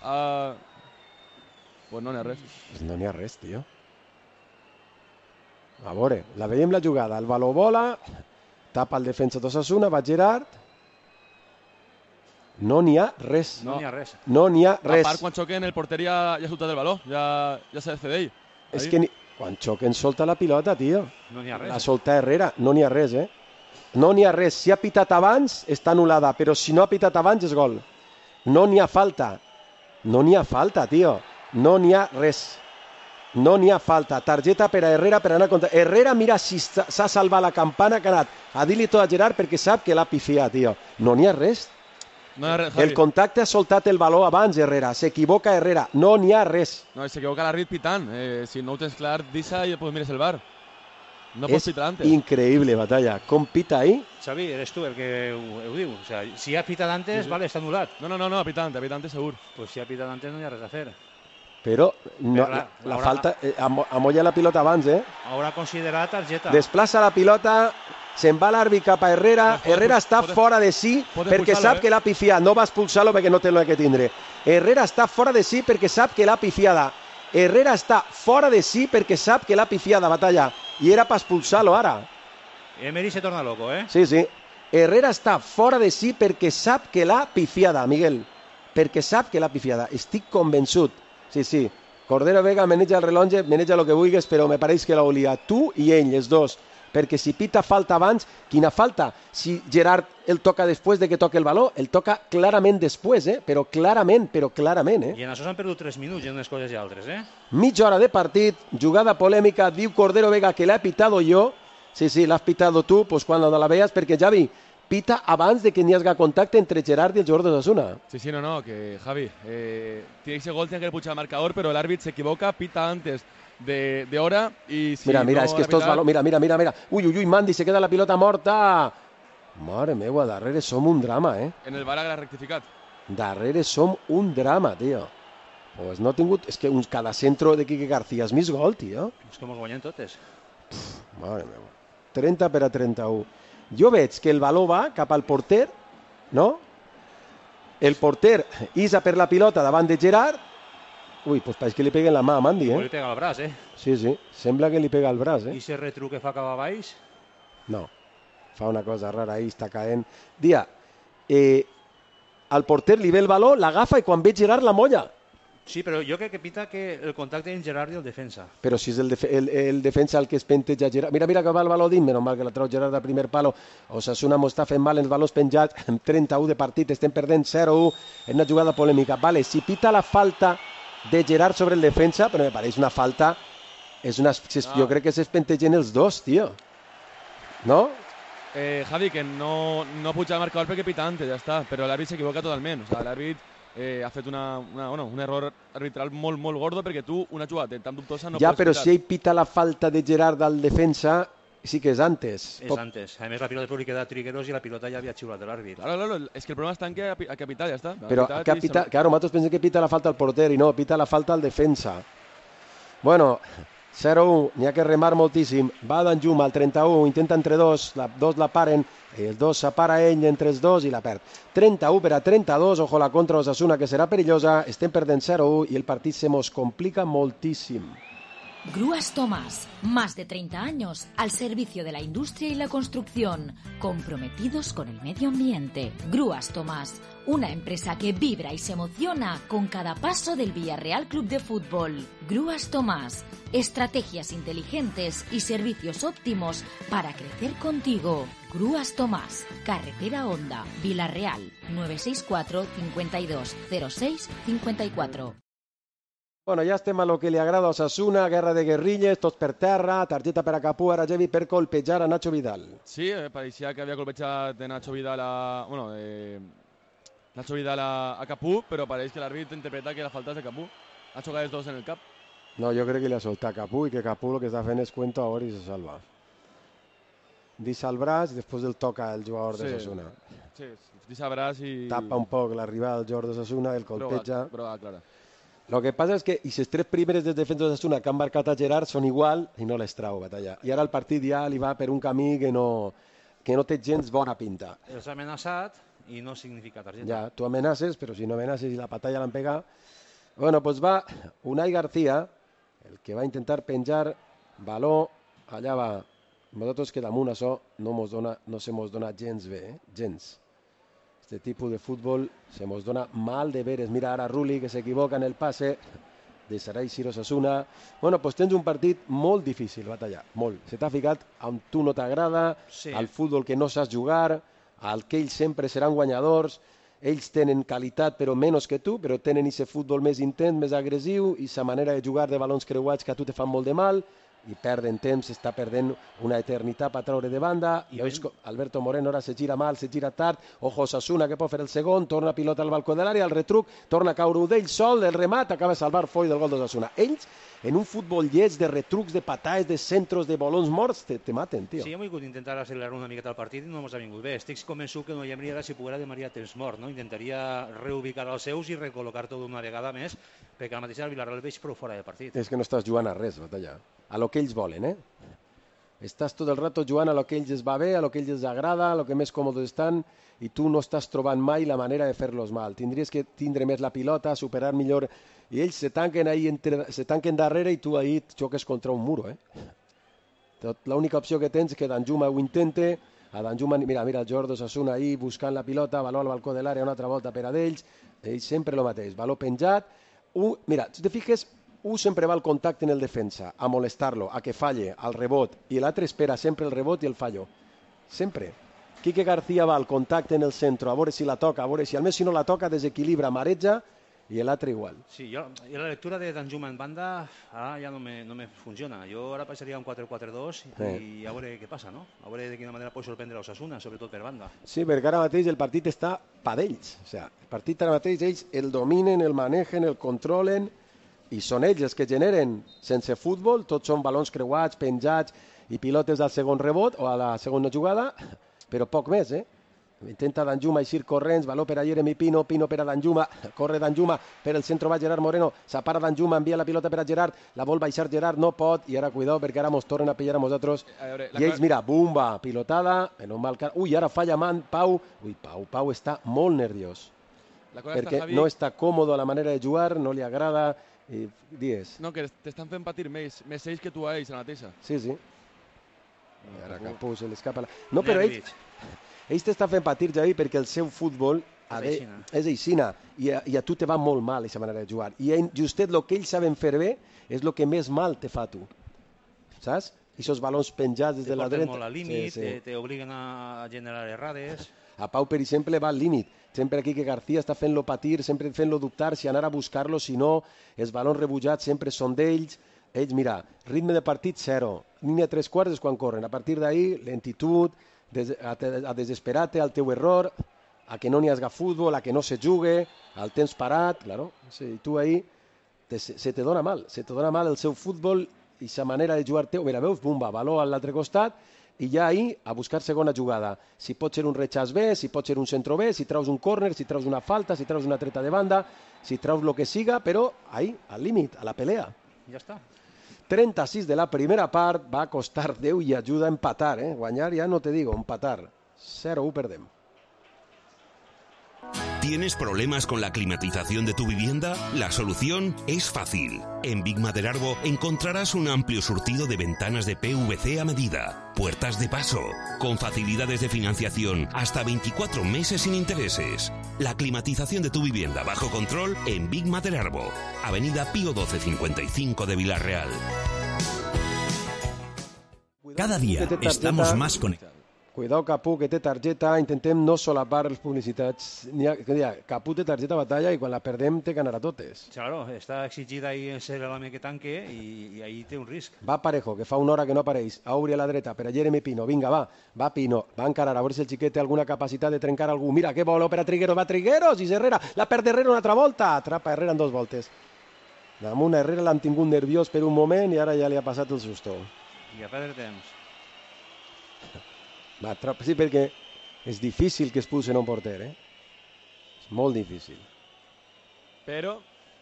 Pues no n'hi ha res. No n'hi ha res, tio. A veure, la veiem la jugada. El baló vola... Tapa el defensa d'Osasuna, va Gerard. No n'hi ha res. No n'hi ha res. A part, quan xoquen, el porter ja ha soltat el baló. Ja s'ha de fer d'ell. És que quan xoquen solta la pilota, tio. No n'hi ha res. La solta Herrera. No n'hi ha res, No n'hi ha res. Si ha pitat abans, està anul·lada. Però si no ha pitat abans, és gol. No n'hi ha falta. Tio. No n'hi ha res. No n'hi ha falta. Targeta per a Herrera per anar a comptar. Herrera mira si s'ha salvat la campana que ha anat a dir-li tot a Gerard perquè sap que l'ha pifiat, tio. No n'hi ha res. El contacte ha soltat el baló abans, Herrera. S'equivoca Herrera. No n'hi ha res. No, s'equivoca l'àrbit pitant. Si no ho tens clar, deixa i després mires el bar. No pots pitar antes. És increïble, batalla. Com pita ahí? Xavi, eres tu el que ho diu. O sea, si ha pitat antes, vale, està anul·lat. No, pitant segur. Pues si ha pitat antes no hi ha res a fer. Però no, la falta... amolla la pilota abans, Haurà considerat targeta. Desplaça la pilota, se'n va l'àrbit cap a Herrera. Herrera està fora de si perquè sap que l'ha pifiat. No va expulsar-lo perquè no té el que tindre. Herrera està fora de si perquè sap que l'ha pifiada. Herrera està fora de si perquè sap que l'ha pifiada, batalla. I era per expulsar-lo ara. Emery se torna loco, Sí. Herrera està fora de si perquè sap que l'ha pifiada, Miguel. Perquè sap que l'ha pifiada. Estic convençut. Sí. Cordero Vega maneja el rellotge, maneja el que vulguis, però me pareix que l'ha oliat tu i ell, els dos. Perquè si pita falta abans, quina falta? Si Gerard el toca després de que toque el baló, el toca clarament després, però clarament. I en això s'han perdut 3 minuts en unes coses i altres, Mitja hora de partit, jugada polèmica, diu Cordero Vega que l'ha pitado jo. Sí, l'has pitado tu, pues quan la veas, perquè Javi pita abans de que n'hi hagi contacte entre Gerard y el jugador de Osasuna. Sí, no, que Javi, ese gol tiene que puchar el marcador, pero el árbitro se equivoca, pita antes de hora y si mira, no es que estos valors... Mira. Uy, Mandy, se queda la pilota morta. Mare meva, darrere som un drama, En el VAR ha rectificat. Darrere som un drama, tio. Pues no ha tingut... És que cada centro de Quique García és més gol, tio. És com els guanyen totes. Mare meva. 30 per a 31. Jo veig que el baló va cap al porter, no? El porter issa per la pilota davant de Gerard. Ui, pues pareix que li peguen la mà a Mandy, Li pega el braç, Sí, sembla que li pega el braç, I ese retruc que fa cap a baix? No, fa una cosa rara ahí, està caent. Dia, al porter li ve el baló, l'agafa i quan ve Gerard la molla. Sí, però jo crec que pita que el contacte en Gerard i el defensa. Però si és el defensa el que es penteja Gerard. Mira que va el baló dins, menys mal que la trau Gerard al primer palo. Osasuna m'ho està fent mal els valors penjats. 31 de partit, estem perdent 0-1 en una jugada polèmica. Vale, si pita la falta de Gerard sobre el defensa, però me pareix una falta... Jo crec que s'espentegen els dos, tio. No? Javi, que no puja el marcador perquè pita antes, ja està. Però l'àrbit s'equivoca totalment. O sigui, l'àrbit ha fet un error arbitral molt gordo perquè tu una jugada tan dubtosa no ja, pots però pitar. Si ell pita la falta de Gerard al defensa, sí que és antes. És antes. A més, la pilota li queda a Trigueros i la pilota ja havia xiulat de l'àrbit. Claro, és que el problema està en que ha pitat, ja està. Però claro, nosaltres pensem que pita la falta al porter i no, pita la falta al defensa. Bueno, 0-1, n'hi ha que remar moltíssim. Va Danjuma al 31, intenta entre dos la paren, els dos separa ell entre els dos i la perd. 31 per a 32, ojo la contra Osasuna que serà perillosa, estem perdent 0-1 i el partit se mos complica moltíssim. Grúas Tomás, más de 30 años al servicio de la industria y la construcción, comprometidos con el medio ambiente. Grúas Tomás, una empresa que vibra y se emociona con cada paso del Villarreal Club de Fútbol. Grúas Tomás, estrategias inteligentes y servicios óptimos para crecer contigo. Grúas Tomás, Carretera Honda, Villarreal, 964 52 06 54. Bueno, ja estem a lo que li agrada a Osasuna, guerra de guerrilles, tots per terra, targeta per a Capú, ara Javi per colpejar a Nacho Vidal. Sí, pareixia que havia colpejat de Nacho Vidal Nacho Vidal a Capú, però pareix que l'àrbit interpreta que la falta és de Capú. Ha xocat els dos en el cap. No, jo crec que li ha soltat Capú i que Capú el que està fent és cuento ahora i se salva. Deixa el braç i després el toca el jugador de Osasuna. Sí, deixa el braç i... Tapa un poc l'arribada del jugador de Osasuna, el colpeja. Prova clara. Lo que passa és que i les tres primeres dels defensos d'Osasuna que han marcat a Gerard són igual i no les trau, batalla. I ara el partit ja li va per un camí que no té gens bona pinta. Els ha amenaçat i no significa targeta. Ja, tu amenaces, però si no amenaces i la batalla l'han pegat... Bueno, pues va Unai García, el que va intentar penjar baló, allà va. Nosaltres que damunt això no se mos dona gens bé, gens. Este tipus de futbol se mos dona mal de veres. Mira ara Rulli que s'equivoca en el passe de Sarai Siro Osasuna. Bueno, pues tens un partit molt difícil, batalla, molt. Se t'ha ficat on tu no t'agrada, sí. Al futbol que no saps jugar, al que ells sempre seran guanyadors. Ells tenen qualitat però menys que tu, però tenen aquest futbol més intens, més agressiu, i sa manera de jugar de balons creuats que a tu te fan molt de mal, i perden temps, està perdent una eternitat per treure de banda, i Alberto Moreno ara se gira mal, se gira tard, ojo Osasuna que pot fer el segon, torna pilota al balcó de l'àrea, el retruc, torna a caure d'ell sol, el remat, acaba de salvar Foy del gol d'Osasuna. Ells, en un futbol lleig de retrucs, de patades, de centros, de balons morts, te maten, tio. Sí, hem volgut intentar accelerar una miqueta el partit i no ens ha vingut bé. Estic convençut que no hi hauria si poguera de Maria temps mort, no? Intentaria reubicar els seus i recol·locar tot una vegada més, perquè al mateix el Villarreal el veig prou fora de partit. És que no estàs jugant a res, batalla. A lo que ells volen, Estàs tot el rato jugant a lo que ells es va bé, a lo que ells els agrada, a lo que més còmodes estan, i tu no estàs trobant mai la manera de fer-los mal. Tindries que tindre més la pilota, superar millor, i ells se tanquen darrere i tu ahí xoques contra un muro, L'única opció que tens és que Danjuma ho intente, a Danjuma, mira el jugador d'Osasuna ahí buscant la pilota, baló al balcó de l'àrea, una altra volta per a d'ells, sempre el mateix, baló penjat, mira, si te fiques, sempre va al contacte en el defensa, a molestar-lo, a que falle, al rebot, i l'altre espera sempre el rebot i el fallo, sempre. Quique García va al contacte en el centre, a veure si la toca, a veure si almenys si no la toca, desequilibra, mareja, i l'altre igual. Sí, jo la lectura de Danjuma en banda ara ja no me funciona. Jo ara passaria un 4-4-2 i a veure què passa, no? A veure de quina manera pot sorprendre l'Osasuna, sobretot per banda. Sí, perquè ara mateix el partit està pa d'ells. O sigui, el partit ara mateix ells el dominen, el manegen, el controlen i són ells els que generen. Sense futbol, tots són balons creuats, penjats i pilotes al segon rebot o a la segona jugada, però poc més, Intenta Danjuma eixir corrents, baló per a Jeremy Pino, Pino per a Danjuma, corre Danjuma, per el centre va Gerard Moreno, s'apara Danjuma, envia la pilota per a Gerard, la vol baixar Gerard, no pot, i ara cuidao perquè ara mos tornen a pillar a nosaltres, i ells, mira, bumba, pilotada, en un mal car... Ui, ara falla Pau, Pau està molt nerviós, perquè no està còmode a la manera de jugar, no li agrada, i digues. No, que t'estan fent patir més ells que tu a ells, a la mateixa. Sí. I ara Capú se l'escapa... No, però ells t'estan fent patir, Javi, perquè el seu futbol és aixina i a tu te va molt mal aquesta manera de jugar. I justet el que ells saben fer bé és el que més mal te fa a tu. Saps? I aquests balons penjats des de la dreta... Te porten molt al límit, te obliguen a generar errades... A Pau, per exemple, va al límit. Sempre aquí que García està fent-lo patir, sempre fent-lo dubtar si anar a buscar-lo, si no, els balons rebutjats sempre són d'ells. Ells, mira, ritme de partit 0, línia 3/4 és quan corren. A partir d'ahí, lentitud, a desesperar-te al teu error, a que no n'hi hagi futbol, a que no se jugue, al temps parat, claro. Sí, tu ahí se te dona mal el seu futbol i sa manera de jugar teu. Mira, veus, bumba, baló a l'altre costat i ja ahí a buscar segona jugada. Si pot ser un rechaç bé, si pot ser un centro bé, si traus un córner, si traus una falta, si traus una treta de banda, si traus lo que siga, però ahí, al límit, a la pelea. Ja està. 36 de la primera part, va costar Déu i ajuda a empatar, Guanyar ya no te digo, empatar. 0-1 perdem. ¿Tienes problemas con la climatización de tu vivienda? La solución es fácil. En Big Maderarbo encontrarás un amplio surtido de ventanas de PVC a medida, puertas de paso, con facilidades de financiación hasta 24 meses sin intereses. La climatización de tu vivienda bajo control en Big Maderarbo, Avenida Pío 1255 de Villarreal. Cada día estamos más conectados. Cuidado, Capú, que té targeta, intentem no solapar les publicitats. Capú té targeta batalla i quan la perdem té que anar a totes. Claro, està exigida ahí ser l'home que tanque i ahí té un risc. Va Parejo, que fa una hora que no apareix, a obrir a la dreta per a Jeremy Pino, vinga, va Pino, va encarar, a veure si el xiquet té alguna capacitat de trencar algú. Mira, que vol per a Trigueros, va Trigueros, i Herrera, la perd Herrera una altra volta, atrapa Herrera en 2 voltes. Damunt Herrera l'han tingut nerviós per un moment i ara ja li ha passat el susto. I a perdre temps. Sí, perquè és difícil que es pusen un porter, És molt difícil. Però,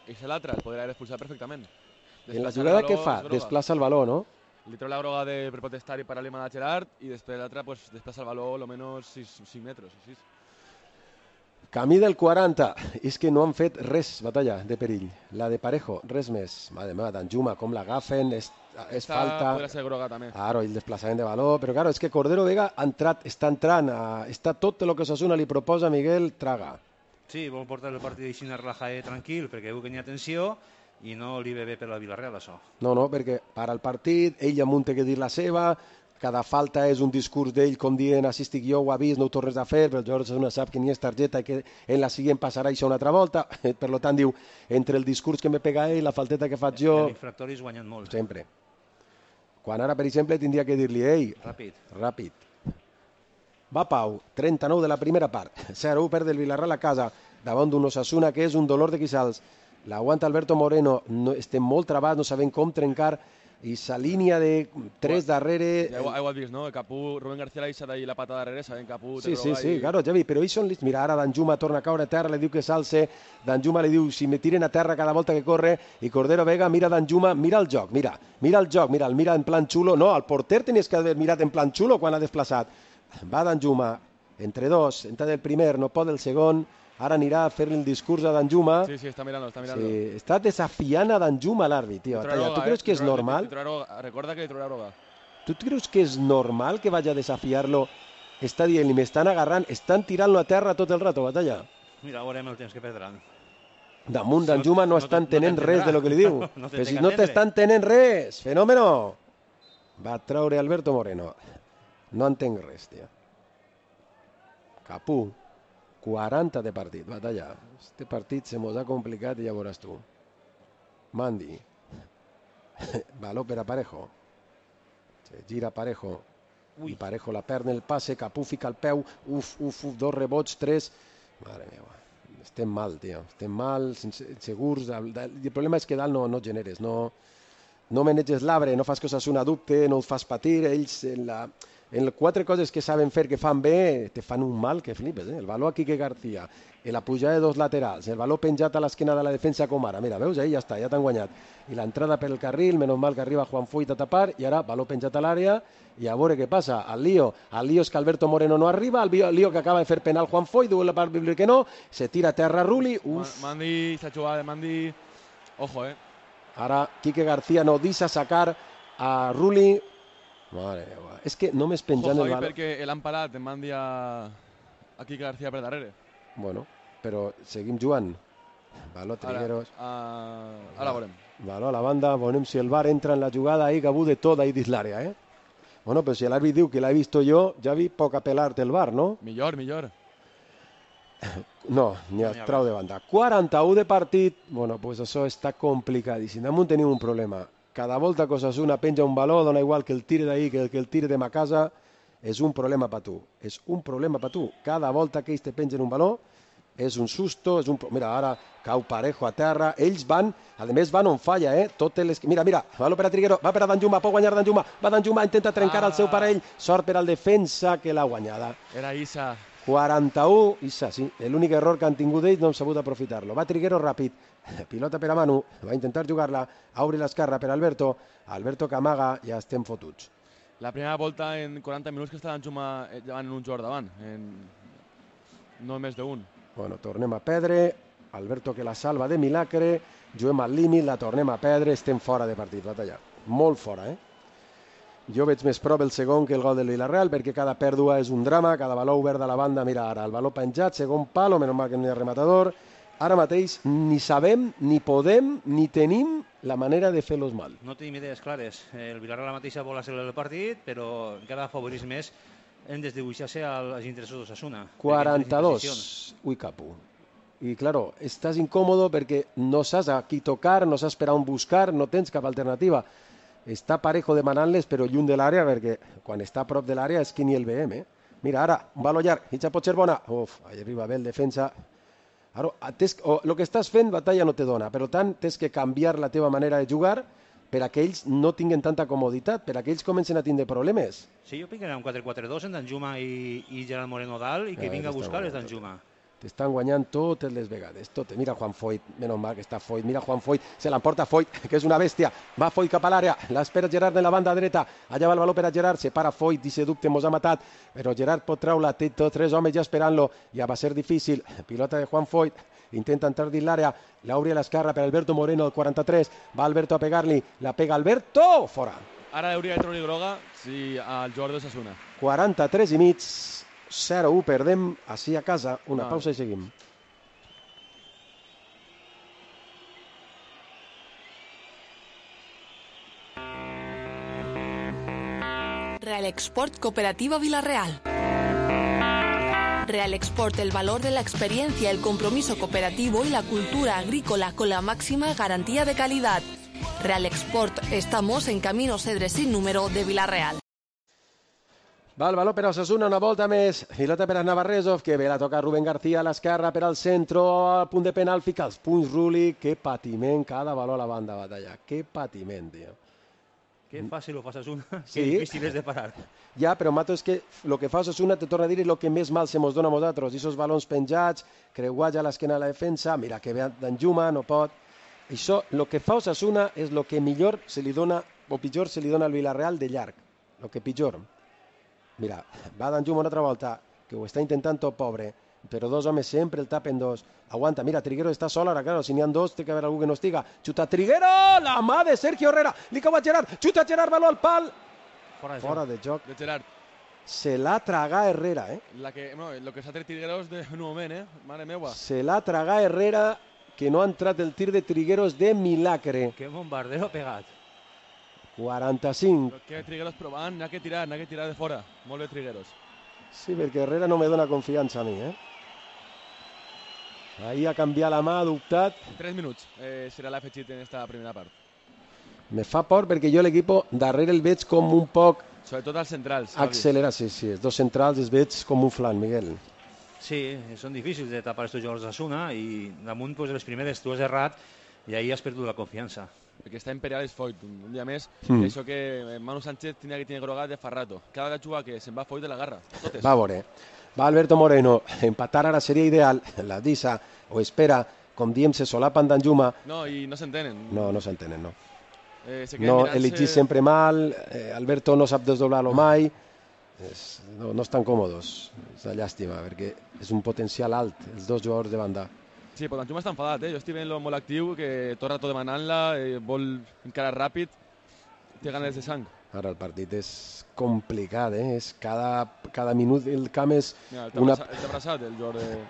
és l'altre, el podria haver expulsat perfectament. En la jugada que fa? Desplaça el baló, no? Li treu la groga per protestar i parar-li a Gerard i després l'altre desplaça el baló almenys 5 metres o 6. Camí del 40, és que no han fet res, batalla, de perill. La de Parejo, res més. Madre meva, Danjuma, com l'agafen, és falta. Podria ser groga també. Claro, el desplaçament de baló, però claro, és que Cordero Vega està entrant, està tot el que Osasuna li proposa, Miguel, traga. Sí, vol portar el partit així relaxat tranquil, perquè veu que n'hi ha tensió i no li ve bé per la Villarreal, això. No, perquè para el partit, ell amunt té que dir la seva, cada falta és un discurs d'ell com dient així estic jo, ho ha vist, no ho tornes a fer, però el jugador Osasuna sap que ni és targeta i que en la següent passarà això una altra volta, per tant diu, entre el discurs que me pega ell, la falteta que faig jo... Els infractoris guanyen molt. Sempre. Quan ara, per exemple, tindria que dir-li, ei, ràpid. Va Pau, 39 de la primera part, 0-1 perd el Villarreal a casa, davant d'un Osasuna que és un dolor de quissals. L'aguanta Alberto Moreno, estem molt travats, no sabem com trencar, i sa línia de 3 darrere... Ja ho has vist, no? Capú, Rubén García l'ha deixat la pata darrere, sabem Capú... Sí, claro, Javi, però ells són... Mira, ara Danjuma torna a caure a terra, li diu que s'alce, Danjuma li diu si me tiren a terra cada volta que corre, i Cordero Vega mira Danjuma, mira el joc, mira el mira en plan xulo, no, el porter tenies que haver mirat en plan xulo quan ha desplaçat. Va Danjuma, entre dos, entra del primer, no pot el segon, ara anirà a fer el discurs a Danjuma. Sí, està mirant-lo. Sí, està desafiant a Danjuma l'àrbit, tio. Tu creus que és normal? Recorda que li trobarà groga. Tu creus que és normal que vagi a desafiar-lo està dient, m'estan agarrant, estan tirant-lo a terra tot el rato, Batalla. Mira, veurem el temps que perdran. Damunt d'en Juma no estan tenent res de lo que li diu. Però si no t'estan tenent res, fenòmeno. Va traure Alberto Moreno. No entenc res, tia. Capú, 40 de partit, Batalla. Este partit se mos ha complicat i ja veuràs tu. Mandi. Baló per a Parejo. Se gira Parejo. I Parejo la perd en el passe, Capú fica el peu. Uf, 2 rebots, 3. Mare meva. Estem mal, tio. Estem mal, segurs. El problema és que dalt no generes, no maneges l'arbre, no fas que Osasuna dubte, no els fas patir. Ells, en 4 coses que saben fer, que fan bé, te fan un mal que flipes. El valor a Quique García, la pujada de 2 laterals, el valor penjat a l'esquena de la defensa com ara. Mira, veus? Ahí ja està, ja t'han guanyat. I l'entrada per el carril, menys mal que arriba Juan Foyt a tapar, i ara valor penjat a l'àrea, i a veure què passa. El lío és que Alberto Moreno no arriba, el lío que acaba de fer penal Juan Foyt, diu la part bíblica que no, se tira a terra Rulli. Mandi, s'ha jugat de Mandi. Ojo, Ara Quique García no deixa sacar a Rulli. Mare meva, és que només penjant el valor... perquè l'han parat, en Mandi a Quique García per darrere. Bueno, però seguim jugant. Valor Trigueros. Ara veurem. Valor a la banda, veurem si el VAR entra en la jugada ahí, Gabú de tot ahí dins l'àrea, Bueno, però si l'àrbit diu que l'ha vist jo, ja vi poc apel·lar-te el VAR, no? Millor. No, ni a trau de banda. 41 de partit, bueno, pues això està complicadíssim. Damunt tenim un problema. Cada volta que Osasuna penja un valor, dona igual que el tire d'ahí que el tire de ma casa, és un problema per tu. És un problema per tu. Cada volta que ells te pengen un valor, és un susto, és un... Mira, ara cau Parejo a terra, ells van, a més van on falla, Mira, valor per a Triguero, va per a Danjuma, pot guanyar Danjuma, va Danjuma, intenta trencar el seu parell, sort per al defensa que l'ha guanyada. Era Issa. 41, Issa, sí, l'únic error que han tingut ells no han sabut aprofitar-lo. Va Triguero ràpid, pilota per a Manu, va intentar jugar-la, obri l'esquerra per Alberto que amaga, ja estem fotuts. La primera volta en 40 minuts que està Danjuma llevant un jugador davant, no més d'un. Bueno, tornem a perdre, Alberto que la salva de milagre, juguem al límit, la tornem a perdre, estem fora de partit, Batalla. Molt fora, Jo veig més prop el segon que el gol del Villarreal, perquè cada pèrdua és un drama, cada valor obert de la banda, mira ara, el valor penjat, segon palo, menys mal que no hi ha rematador. Ara mateix ni sabem, ni podem, ni tenim la manera de fer-los mal. No tenim idees clares. El Villarreal mateixa vol accelerar el partit, però encara afavorís més en desdibuixar-se als interessos d'Osasuna. 42. Ui, Capú. I, claro, estàs incòmodo perquè no saps a qui tocar, no saps per on buscar, no tens cap alternativa. Està Parejo demanant-les, però lluny de l'àrea, perquè quan està a prop de l'àrea és que ni el veiem, Mira, ara, un valor llarg, mitja pot ser bona. Uf, allà arriba bé el defensa. Ara, el que estàs fent, Batalla no te dona, per tant, tens que canviar la teva manera de jugar per a que ells no tinguin tanta comoditat, per a que ells comencen a tindre problemes. Sí, jo penso que era un 4-4-2 en Danjuma i Gerard Moreno dalt i que vinga a buscar és Danjuma. T'estan guanyant totes les vegades, totes. Mira Juan Foyt, menys mal que està Foyt, mira Juan Foyt, se l'emporta Foyt, que és una bèstia, va Foyt cap a l'àrea, l'espera Gerard en la banda dreta, allà va el valor per a Gerard, se para Foyt, dice dubte, mos ha matat, però Gerard pot treure-la, té tots 3 homes ja esperant-lo, ja va ser difícil, pilota de Juan Foyt, intenta entrar dins l'àrea, l'obri a l'esquerra per Alberto Moreno, el 43, va Alberto a pegar-li, la pega Alberto, fora. Ara hauria de treure groga si el jugador d'Osasuna. 43 i mig, 0-1, perdem així a casa, una pausa i seguim. Real Export Cooperativa Villarreal. Real Export, el valor de la experiencia, el compromiso cooperativo y la cultura agrícola con la máxima garantía de calidad. Real Export, estamos en Camino Cedres sin número de Villarreal. Va el valor per a Osasuna, una volta més, pilota per a Navarresov, que ve la toca Rubén García a l'esquerra per al centre, al punt de penal, fica els punts Rulli, que patiment, cada valor a la banda, Batalla, que patiment, tio. Que fàcil ho fa Osasuna, sí. Que difícil és de parar. Ja, però Mato, és que el que fa Osasuna, te torna a dir, és el que més mal se mos dona a nosaltres, i esos balons penjats, creuats a l'esquena de la defensa, mira que ve Danjuma, no pot. Això, el que fa Osasuna és el que millor se li dona, o pitjor se li dona al Villarreal de llarg, el que pitjor. Mira, va Danjuma una altra volta, que ho està intentant tot pobre, però 2 homes sempre el tapen 2. Aguanta, mira, Triguero està sol ara, claro, si n'hi ha 2 té que haver algú que no estiga. Xuta Triguero, la mà de Sergio Herrera, li cau a Gerard, xuta Gerard, valor al pal. Fora de joc. De Gerard. Se l'ha tragat Herrera, Lo que s'ha tret Trigueros en un moment, mare meua. Se l'ha tragat Herrera, que no ha entrat el tir de Trigueros de milagre. Que bombardeo pegat. 45. Però que Trigueros provant, n'ha que tirar de fora. Molt bé Trigueros. Sí, perquè Herrera no me dona confiança a mi, Ahí ha canviat la mà, ha dubtat. 3 minuts serà l'afegit en esta primera part. Me fa por perquè jo l'equip darrere el veig com un poc... Sobretot els centrals. Accelera, sí, els dos centrals els veig com un flan, Miguel. Sí, són difícils de tapar estos jugadors d'Osasuna i damunt pues, les primeres tu has errat i ahí has perdut la confiança. Perquè està Imperial és Foyt, un dia més, això que Manu Sánchez tenia que tenir grogat de fa rato. Cada jugada que se'n va Foyt de la garra, totes. Va a veure, va Alberto Moreno, empatar ara seria ideal, la Disa o espera, com diem, se solapan Danjuma. No, i no s'entenen. No s'entenen, no. No, elegís sempre mal, Alberto no sap desdoblar-lo mai, no estan còmodes, és una llàstima, perquè és un potencial alt, els dos jugadors de banda. Sí, però Danjuma està enfadat, Jo estic veient-lo molt actiu, que tot rato demanant-la, vol encara ràpid, té ganes de sang. Ara el partit és complicat, és cada minut el camp és... Mira, t'ha abraçat el jugador de...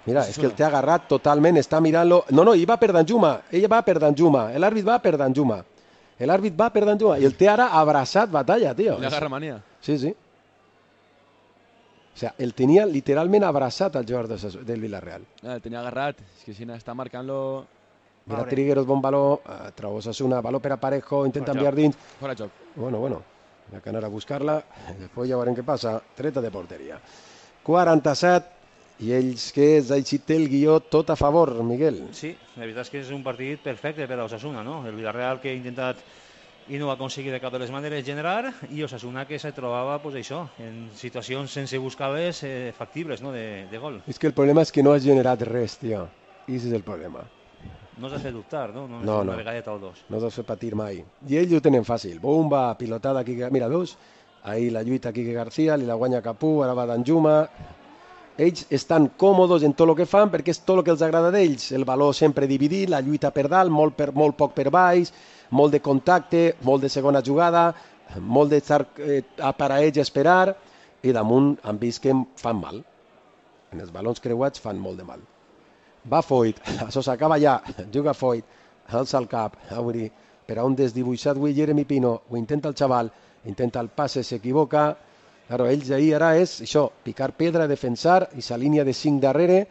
Mira, és que el té agarrat totalment, està mirant-lo... No, ell va per Danjuma, l'àrbit va per Danjuma. L'àrbit va per Danjuma i el té ara abraçat batalla, tio. Li agarra mania. Sí. O sea, el tenia literalment abraçat al jugador del Villarreal. El tenia agarrat, és que si està marcant-lo... Mira, Trigueros, bon baló, trau Osasuna, baló per a Parejo, intenta enviar dins. Fora joc. Bueno, hi ha que anar a buscar-la, després ja veurem què passa, treta de porteria. 47, i ells que Zaichi té el guió tot a favor, Miguel. Sí, la veritat és que és un partit perfecte per a Osasuna, no? El Villarreal que ha intentat i no va aconseguir de cap de les maneres generar, i Osasuna que se trobava, pues això, en situacions sense buscar-les factibles, no?, de gol. És que el problema és que no has generat res, tio. I és el problema. No has de fer dubtar, no? No. Una vegada o dos. No has de fer patir mai. I ells ho tenen fàcil. Bomba, pilotada, Quique... Mira, veus? Ahí la lluita Quique García, li la guanya Capú, ara va Danjuma. Ells estan còmodes en tot el que fan perquè és tot el que els agrada d'ells. El valor sempre dividit, la lluita per dalt, molt poc per baix, molt de contacte, molt de segona jugada, molt d'estar per a ells esperar, i damunt han vist que fan mal. En els balons creuats fan molt de mal. Va Foyt, això s'acaba ja, juga Foyt, alça el cap, obri, per a un desdibuixat avui Jeremy Pino, ho intenta el xaval, intenta el passe, s'equivoca, claro, ells ahir ara és això, picar pedra, defensar, i sa línia de 5 darrere,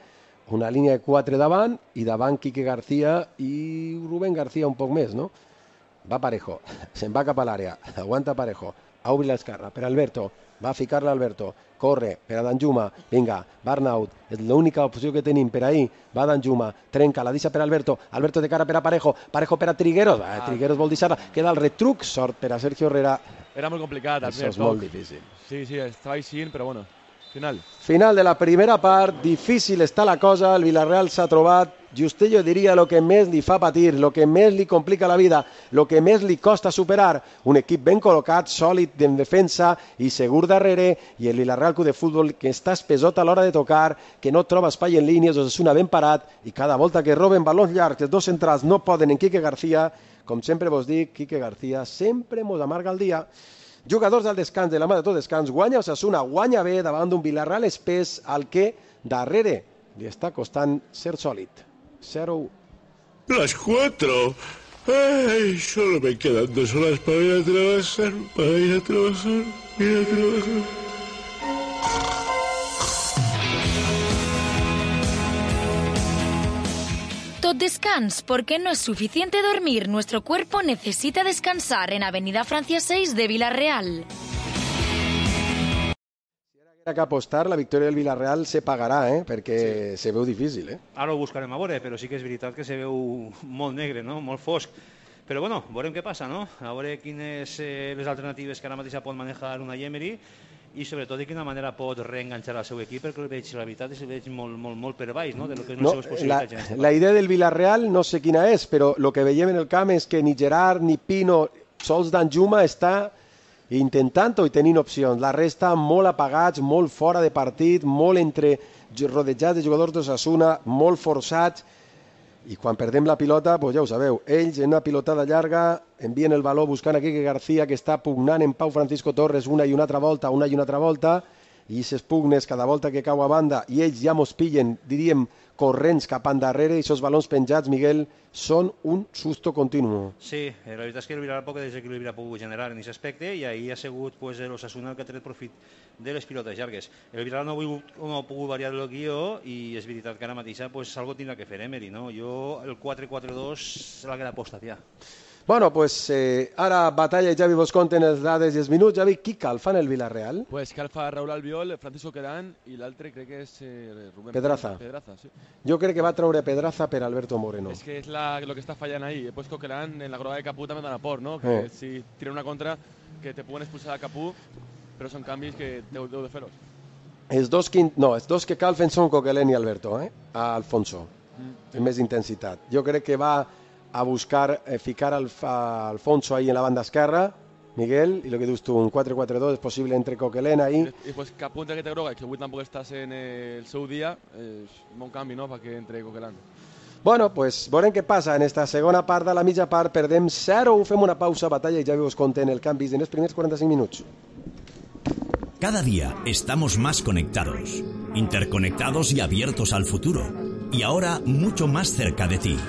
una línia de 4 davant, i davant Quique García i Rubén García un poc més, no? Va Parejo, se'n va cap a l'àrea, aguanta Parejo, obri l'esquerra per Alberto, va a ficar-la Alberto, corre per a Danjuma, vinga, Barnaut, és l'única opció que tenim per ahir, va Danjuma, trenca, la deixa per Alberto, Alberto de cara per a Parejo, Parejo per a Trigueros, Trigueros vol deixar-la, queda el retruc, sort per a Sergio Herrera. Era molt complicat. Això és molt difícil. Sí, estava així, però bueno, Final de la primera part, difícil està la cosa, el Villarreal s'ha trobat, Justello diria el que més li fa patir, el que més li complica la vida, el que més li costa superar, un equip ben col·locat, sòlid en defensa i segur darrere, i el Villarreal Club de Futbol que està espesot a l'hora de tocar, que no troba espai en línies, Osasuna ben parat, i cada volta que roben balons llargs, els dos centrals no poden en Quique García, com sempre vos dic, Quique García sempre mos amarga el dia. Jugadors al descans, de la mà de tot descans, guanya Osasuna, guanya bé davant d'un Villarreal espès al que darrere li està costant ser sòlid. 0-1. Las 4. Ay, solo me quedan 2 horas para ir a trabajar, Tot descans, porque no es suficiente dormir. Nuestro cuerpo necesita descansar en Avenida Francia 6 de Villarreal. Si que apostar, la victòria del Villarreal se pagarà, perquè se veu difícil. Ara ho buscarem a veure, però sí que és veritat que se veu molt negre, no? Molt fosc. Però bueno, veurem què passa, no? A veure quines les alternatives que ara mateix pot manejar una Emery i sobretot de quina manera pot reenganxar el seu equip, perquè la veritat és que el veig molt per baix, no? De lo que és les seves possibilitats. La idea del Villarreal no sé quina és, però el que veiem en el camp és que ni Gerard ni Pino, sols Danjuma està intentant-ho i tenint opcions. La resta molt apagats, molt fora de partit, molt rodejats de jugadors d'Osasuna, molt forçats. i quan perdem la pilota, doncs ja ho sabeu, ells en una pilotada llarga envien el valor buscant a Quique García, que està pugnant en Pau Francisco Torres una i una altra volta, i aquestes pugnes cada volta que cau a banda i ells ja mos pillen, diríem, corrents cap endarrere, i aquests balons penjats, Miguel, són un susto continu. Sí, la veritat és que el Villarreal poc desequilibri ha pogut generar en aquest aspecte, i ahir ha sigut l'Osasuna el que ha tret profit de les pilotes llargues. El Villarreal no ha pogut variar el guió, i és veritat que ara mateixa algo tindrà que fer Emery, no? Jo el 4-4-2 se l'ha quedat apostat ja. Bueno, pues ara Batalla i Javi vos conten les dades i els minuts. Javi, qui calfa en el Villarreal? Pues calfa Raúl Albiol, Francisco Querán i l'altre crec que és Rubén Pedraza. Sí. Jo crec que va treure Pedraza per Alberto Moreno. Es que es lo que está fallando ahí. He puesto Querán en la grada de Capú también dan por, ¿no? Que si tiran una contra que te pueden expulsar a Capú, però són canvis que deu de fer-los. Els dos que calfen són Coquelin i Alberto, a Alfonso, amb més intensitat. Jo crec que va a buscar ficar Alfonso ahí en la banda esquerra, Miguel, y lo que dius tu, un 4-4-2 es posible entre Coquelin ahí. Y pues Capú entre que te groga, que avui tampoc estàs en el seu dia, és un bon canvi, no?, perquè entre Coquelin. Bueno, pues veurem què passa en esta segona part. De la mitja part perdem 0, fem una pausa, Batalla, i ja us conten el canvi en els primers 45 minuts. Cada día estamos más conectados, interconectados y abiertos al futuro. Y ahora mucho más cerca de ti.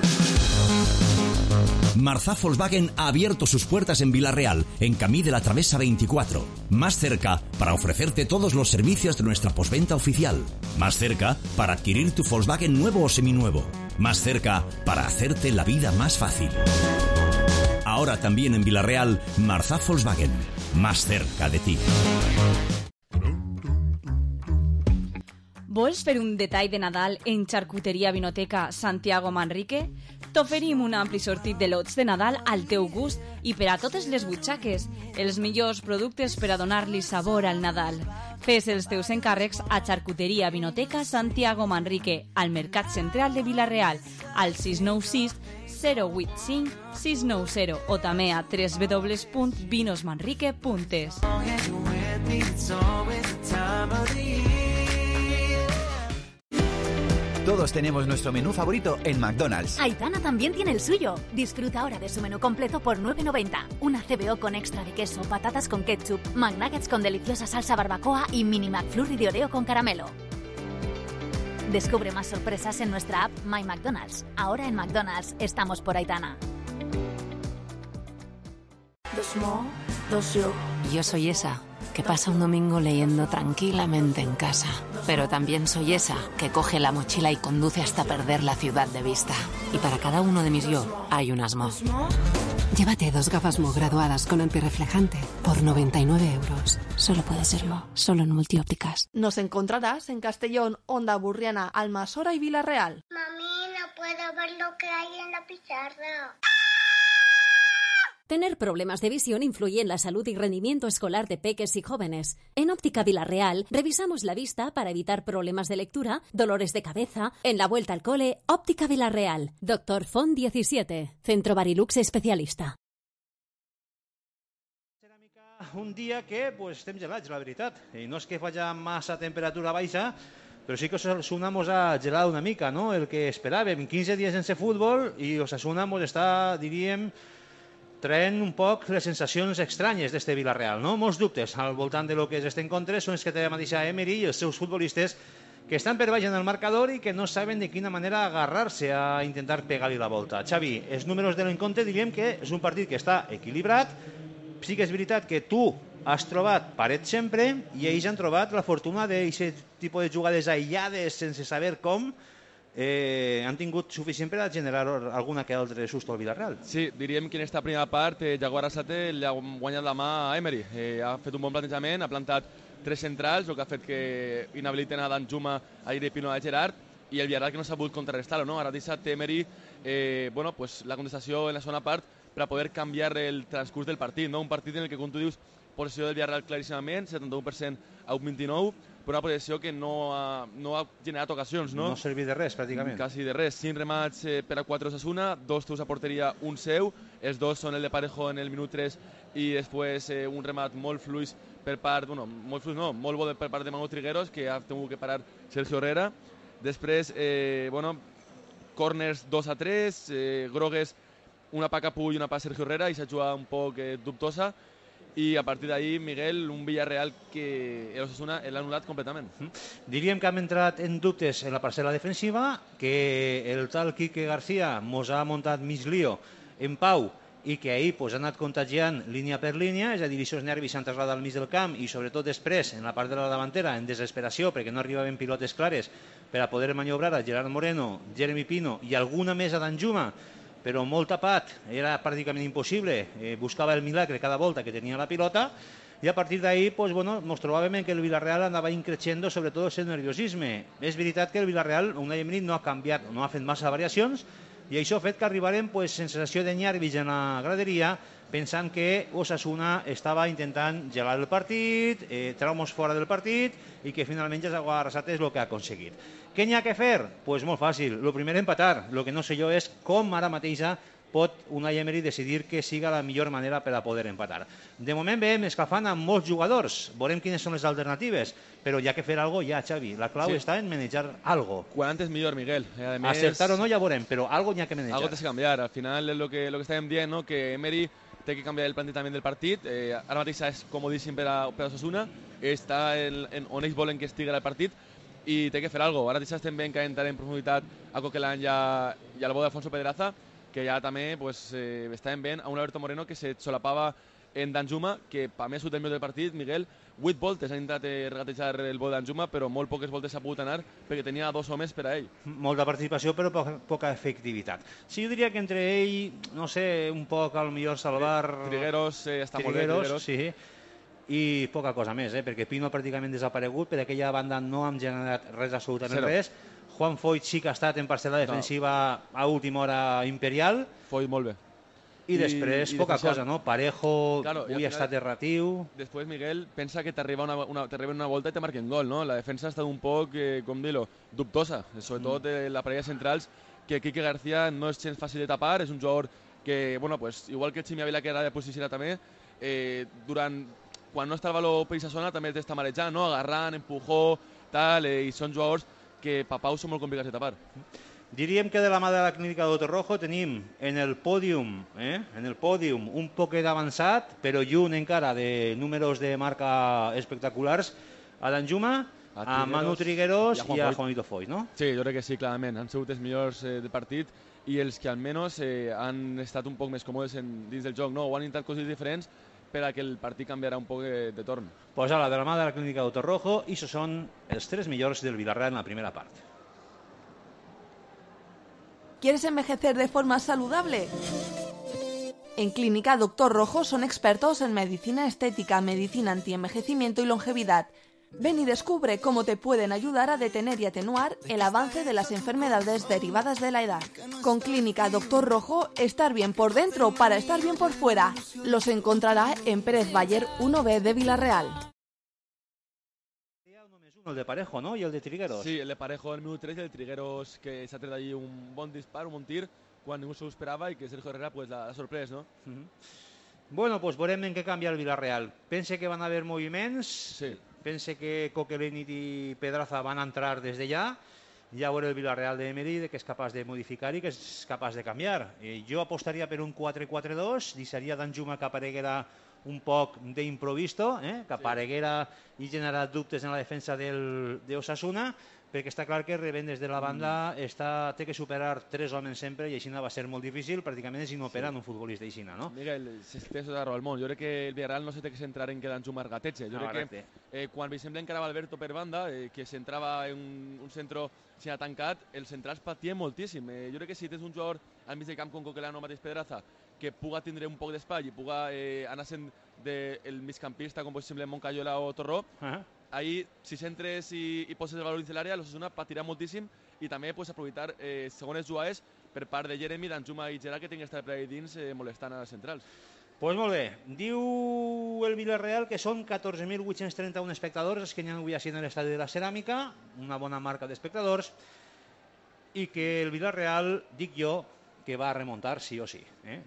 Marzá Volkswagen ha abierto sus puertas en Vila-real, en Camí de la Travesa 24. Más cerca para ofrecerte todos los servicios de nuestra postventa oficial. Más cerca para adquirir tu Volkswagen nuevo o seminuevo. Más cerca para hacerte la vida más fácil. Ahora también en Vila-real, Marzá Volkswagen. Más cerca de ti. Vols fer un detall de Nadal en Charcuteria Vinoteca Santiago Manrique? T'oferim un ampli sortit de lots de Nadal al teu gust i per a totes les butxaques, els millors productes per a donar-li sabor al Nadal. Fes els teus encàrrecs a Charcuteria Vinoteca Santiago Manrique, al Mercat Central de Vila-real, al 696 085 690 o també a www.vinosmanrique.es. Todos tenemos nuestro menú favorito en McDonald's. Aitana también tiene el suyo. Disfruta ahora de su menú completo por $9.90. Una CBO con extra de queso, patatas con ketchup, McNuggets con deliciosa salsa barbacoa y mini McFlurry de Oreo con caramelo. Descubre más sorpresas en nuestra app My McDonald's. Ahora en McDonald's estamos por Aitana. Yo soy esa que pasa un domingo leyendo tranquilamente en casa. Pero también soy esa que coge la mochila y conduce hasta perder la ciudad de vista. Y para cada uno de mis yo hay un Asmo. Llévate 2 gafas Mo graduadas con antirreflejante por 99 euros. Solo puede serlo, solo en Multiópticas. Nos encontrarás en Castellón, Onda Burriana, Almasora y Vila-real. Mami, no puedo ver lo que hay en la pizarra. Tener problemas de visión influye en la salud y rendimiento escolar de peques y jóvenes. En Óptica Vila-real revisamos la vista para evitar problemas de lectura, dolores de cabeza. En la vuelta al cole, Óptica Vila-real. Dr. Font 17, Centro Barilux especialista. Un dia que estem gelats, la veritat. I no és que faci massa temperatura baixa, però sí que Osasuna mos ha gelat una mica, no? El que esperàvem. 15 dies sense futbol i Osasuna mos està, diríem, traient un poc les sensacions estranyes d'este Vila-real, no? Molts dubtes al voltant de lo que és este encontre són els que té la mateixa Emery i els seus futbolistes que estan per baix en el marcador i que no saben de quina manera agarrar-se a intentar pegar-li la volta. Xavi, els números de l'encontre diríem que és un partit que està equilibrat. Sí que és veritat que tu has trobat paret sempre i ells han trobat la fortuna d'aquest tipus de jugades aïllades sense saber com han tingut suficient per a generar alguna que altre susto al Villarreal. Sí, diríem que en aquesta primera part Jaguar Arrasate li ha guanyat la mà a Emery. Ha fet un bon plantejament, ha plantat 3 centrals, el que ha fet que inhabiliten a Danjuma, a Iri Pino, a Gerard, i el Villarreal que no s'ha pogut contrarrestar-ho, no? Ara deixa Emery la contestació en la segona part per a poder canviar el transcurs del partit, no? Un partit en el que, com tu dius, possessió del Villarreal claríssimament, 71% a un 29%, però una possessió que no ha generat ocasions, no? No ha servit de res, pràcticament. Quasi de res. 5 remats per a 4 Osasuna, 2 teus a porteria, un seu, els 2 són el de Parejo en el minut 3 i després un remat molt fluix per part, molt bo per part de Manu Trigueros, que ha tingut que parar Sergio Herrera. Després, corners 2-3, grogues una pa Capull i una pa Sergio Herrera, i s'ha jugat un poc dubtosa, i a partir d'ahí, Miguel, un Villarreal que l'Osasuna l'ha anul·lat completament. Diríem que hem entrat en dubtes en la parcel·la defensiva, que el tal Quique García mos ha muntat mig lío en Pau i que ahir ha anat contagiant línia per línia, és a dir, aquests nervis s'han traslladat al mig del camp i sobretot després, en la part de la davantera, en desesperació, perquè no arribaven pilotes clares per a poder maniobrar a Gerard Moreno, Jeremy Pino i alguna més a Danjuma, però molt tapat, era pràcticament impossible, buscava el milagre cada volta que tenia la pilota, i a partir d'ahir ens trobàvem que el Villarreal anava increixendo sobretot el nerviosisme. És veritat que el Villarreal, Unai Emery, no ha canviat, no ha fet massa variacions, i això ha fet que arribarem sensació de nervis en la graderia, pensant que Osasuna estava intentant gelar el partit, treure'ns fora del partit, i que finalment Jaguar Arrasate és el que ha aconseguit. Què n'hi ha que fer? Doncs molt fàcil. El primer, empatar. El que no sé jo és com ara mateixa pot Unai Emery decidir que siga la millor manera per a poder empatar. De moment veiem escalfant amb molts jugadors, veurem quines són les alternatives, però hi ha que fer alguna cosa ja, Xavi. La clau està en manejar algo. Quan antes millor, Miguel. Acertar o no ja veurem, però algo n'hi ha que manejar. Algo tens que canviar. Al final és lo que estàvem dient, no? Que Emery té que canviar el plantejament del partit. Ara mateix és comodíssim per a Osasuna, està on ells volen que estigui el partit, i té que fer alguna cosa. Ara mateix estem veient que entrar en profunditat a Coquelin i al bo d'Alfonso Pedraza, que ja també estàvem veient a un Alberto Moreno que se solapava en Danjuma, que per més del del partit, Miguel, 8 voltes ha intentat regatejar el bo d'Danjuma, però molt poques voltes s'ha pogut anar perquè tenia 2 homes per a ell. Molta participació, però poca efectivitat. Sí, jo diria que entre ell, no sé, un poc al millor salvar... Trigueros, està molt bé, Trigueros. Sí, i poca cosa més, perquè Pino pràcticament desaparegut, per aquella banda no hem generat res, absolutament res. Juan Foyt sí que ha estat en parcel·la defensiva a última hora imperial. Foyt molt bé. I després poca cosa, no? Parejo, avui ha estat erratiu. Després, Miguel, pensa que t'arriba una volta i te marquen gol, no? La defensa ha estat un poc, com dir-ho, dubtosa, sobretot la parella centrals, que Quique García no és gens fàcil de tapar, és un jugador que, bueno, pues, igual que el Ximi Ávila, que era de posicionar també, quan no està el valor per aquesta zona també t'està marejant, no? Agarrant, empujó, tal, i són jugadors que per Pau són molt complicats de tapar. Diríem que de la mà de la clínica Doctor Rojo tenim en el pòdium un poquet avançat, però lluny encara de números de marca espectaculars, a Danjuma, a Manu Trigueros i a Juanito Foyt, no? Sí, jo crec que sí, clarament. Han sigut els millors del partit i els que almenys han estat un poc més còmodes dins del joc, no? O han intentat coses diferents per a que el partit canviarà un poc de torn. Pues ara, de la mà de la clínica Doctor Rojo, i això són els 3 millors del Villarreal en la primera part. ¿Quieres envejecer de forma saludable? En Clínica Doctor Rojo son expertos en medicina estética, medicina antienvejecimiento y longevidad. Ven y descubre cómo te pueden ayudar a detener y atenuar el avance de las enfermedades derivadas de la edad. Con Clínica Doctor Rojo, estar bien por dentro para estar bien por fuera. Los encontrará en Pérez Bayer 1B de Villarreal. El de Parejo, ¿no? Y el de Trigueros. Sí, el de Parejo en el minut 3 y el de Trigueros que s'ha tret allí un bon dispar, un bon tir, quan ningú s'ho esperava i que Sergio Herrera pues, l'ha sorprès, no? Bueno, pues veurem en què canvia el Villarreal. Pense que van haver moviments, pense que Coquelin i Pedraza van entrar des de ja veuré el Villarreal d'Emery que és capaç de modificar i que és capaç de canviar. Jo apostaria per un 4-4-2, deixaria Danjuma que apareguera un poc d'improvisto, que apareguera i generat dubtes en la defensa d'Osasuna, perquè està clar que rebent des de la banda té que superar 3 homes sempre i així va ser molt difícil, pràcticament és inoperant un futbolista així, no? Miguel, té tota la raó del món. Jo crec que el Villarreal no se té que centrar en que Danjuma regateja. Jo crec que quan per exemple encarava Alberto per banda, que s'entrava en un centre tancat, els centrals patien moltíssim. Jo crec que si tens un jugador al mig del camp com Coquelin o mateix Pedraza que puga tindre un poc d'espai i puga anar sent del migcampista com per exemple Moncayola o Torró, ahí si centres i poses el valor dins l'àrea, l'Osasuna patirà moltíssim i també aprofitar segones jugades per part de Jeremy, Danjuma i Gerard que tinguin estar per ahí dins molestant a les centrals. Pues molt bé, diu el Villarreal que són 14.831 espectadors els que n'hi ha avui així en l'estadi de la Ceràmica, una bona marca d'espectadors, i que el Villarreal, dic jo, que va remuntar sí o sí.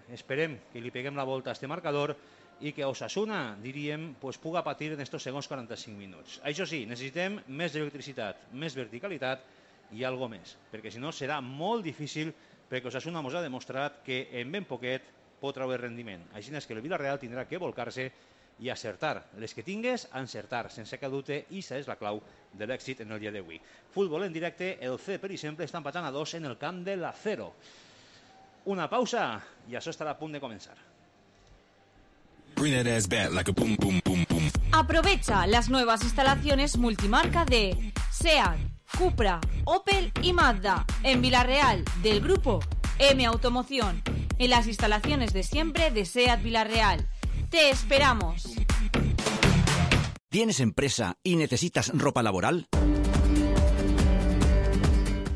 Esperem que li peguem la volta a este marcador i que Osasuna, diríem, puga patir en estos segons 45 minuts. Això sí, necessitem més electricitat, més verticalitat i algo més, perquè si no serà molt difícil, perquè Osasuna ens ha demostrat que en ben poquet pot treure rendiment. Així és que el Villarreal tindrà que volcar-se i acertar. Les que tingues, encertar, sense cap dubte, i això és la clau de l'èxit en el dia d'avui. Futbol en directe, el C, per exemple, està empatant a 2 en el camp de l'Acero. Una pausa i això estarà a punt de començar. Aprovecha las nuevas instalaciones multimarca de SEAT, Cupra, Opel y Mazda en Villarreal del grupo M Automoción, en las instalaciones de siempre de SEAT Villarreal. ¡Te esperamos! ¿Tienes empresa y necesitas ropa laboral?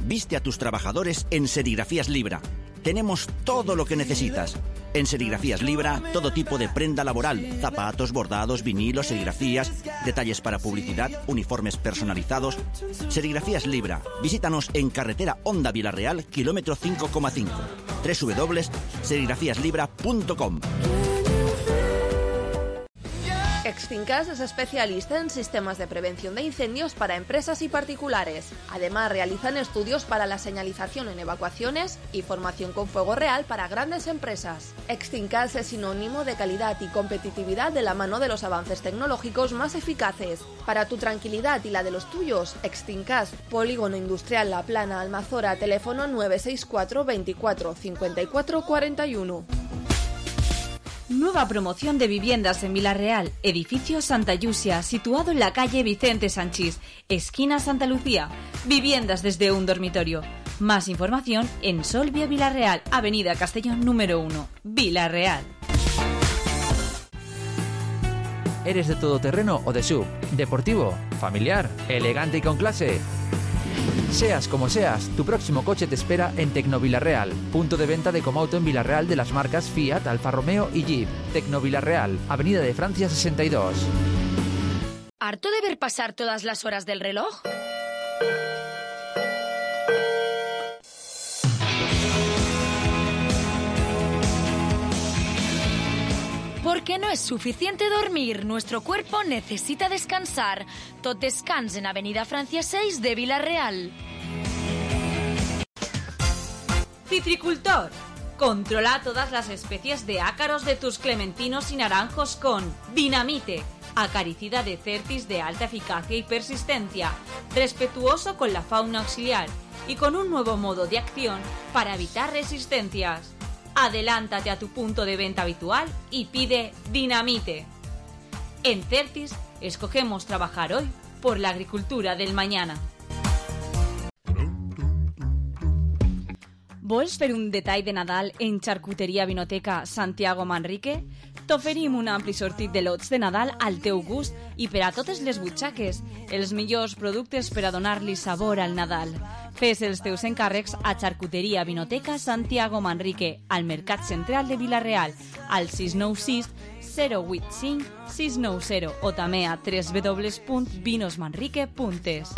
Viste a tus trabajadores en Serigrafías Libra. Tenemos todo lo que necesitas. En Serigrafías Libra, todo tipo de prenda laboral, zapatos, bordados, vinilos, serigrafías, detalles para publicidad, uniformes personalizados. Serigrafías Libra. Visítanos en carretera Honda Villarreal, kilómetro 5,5. www.serigrafiaslibra.com. Extincas es especialista en sistemas de prevención de incendios para empresas y particulares. Además, realizan estudios para la señalización en evacuaciones y formación con fuego real para grandes empresas. Extincas es sinónimo de calidad y competitividad de la mano de los avances tecnológicos más eficaces. Para tu tranquilidad y la de los tuyos, Extincas, Polígono Industrial La Plana, Almazora, teléfono 964 24 54 41. Nueva promoción de viviendas en Villarreal, edificio Santa Yusia, situado en la calle Vicente Sanchís, esquina Santa Lucía. Viviendas desde un dormitorio. Más información en Solvia Villarreal, avenida Castellón número 1, Villarreal. ¿Eres de todoterreno o de SUV? ¿Deportivo? ¿Familiar? ¿Elegante y con clase? Seas como seas, tu próximo coche te espera en Tecnovillarreal, punto de venta de Comauto en Villarreal de las marcas Fiat, Alfa Romeo y Jeep. Tecnovillarreal, Avenida de Francia 62. ¿Harto de ver pasar todas las horas del reloj? Porque no es suficiente dormir, nuestro cuerpo necesita descansar. Tot descans en Avenida Francia 6 de Villarreal. Citricultor. Controla todas las especies de ácaros de tus clementinos y naranjos con Dinamite, acaricida de Certis de alta eficacia y persistencia, respetuoso con la fauna auxiliar y con un nuevo modo de acción para evitar resistencias. Adelántate a tu punto de venta habitual y pide Dinamite. En Certis escogemos trabajar hoy por la agricultura del mañana. Vols fer un detall de Nadal en Charcuteria Vinoteca Santiago Manrique? T'oferim un ampli sortit de lots de Nadal al teu gust i per a totes les butxaques, els millors productes per a donar-li sabor al Nadal. Fes els teus encàrrecs a Charcuteria Vinoteca Santiago Manrique, al Mercat Central de Villarreal, al 696 085 690 o també a www.vinosmanrique.es.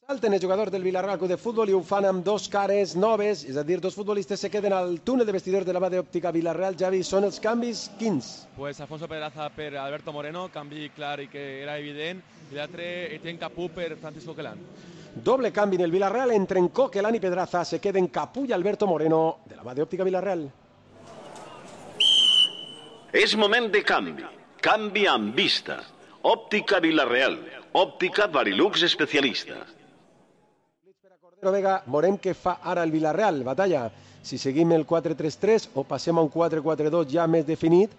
Salten el jugador del Villarreal Club de Fútbol i ho fan amb dos cares noves, és a dir, dos futbolistes se queden al túnel de vestidors de la mà d'òptica Villarreal. Javi, són els canvis quins? Pues Alfonso Pedraza per Alberto Moreno, canvi clar i que era evident, i l'altre Etienne Capú per Francisco Quelán. Doble canvi en el Villarreal entre Coquelán i Pedraza, se queden Capú i Alberto Moreno de la mà d'òptica Villarreal. És moment de canvi. Canvi amb vista. Òptica Villarreal. Òptica Varilux especialista. Però Vega, veurem què fa ara el Villarreal, batalla. Si seguim el 4-3-3 o passem a un 4-4-2 ja més definit,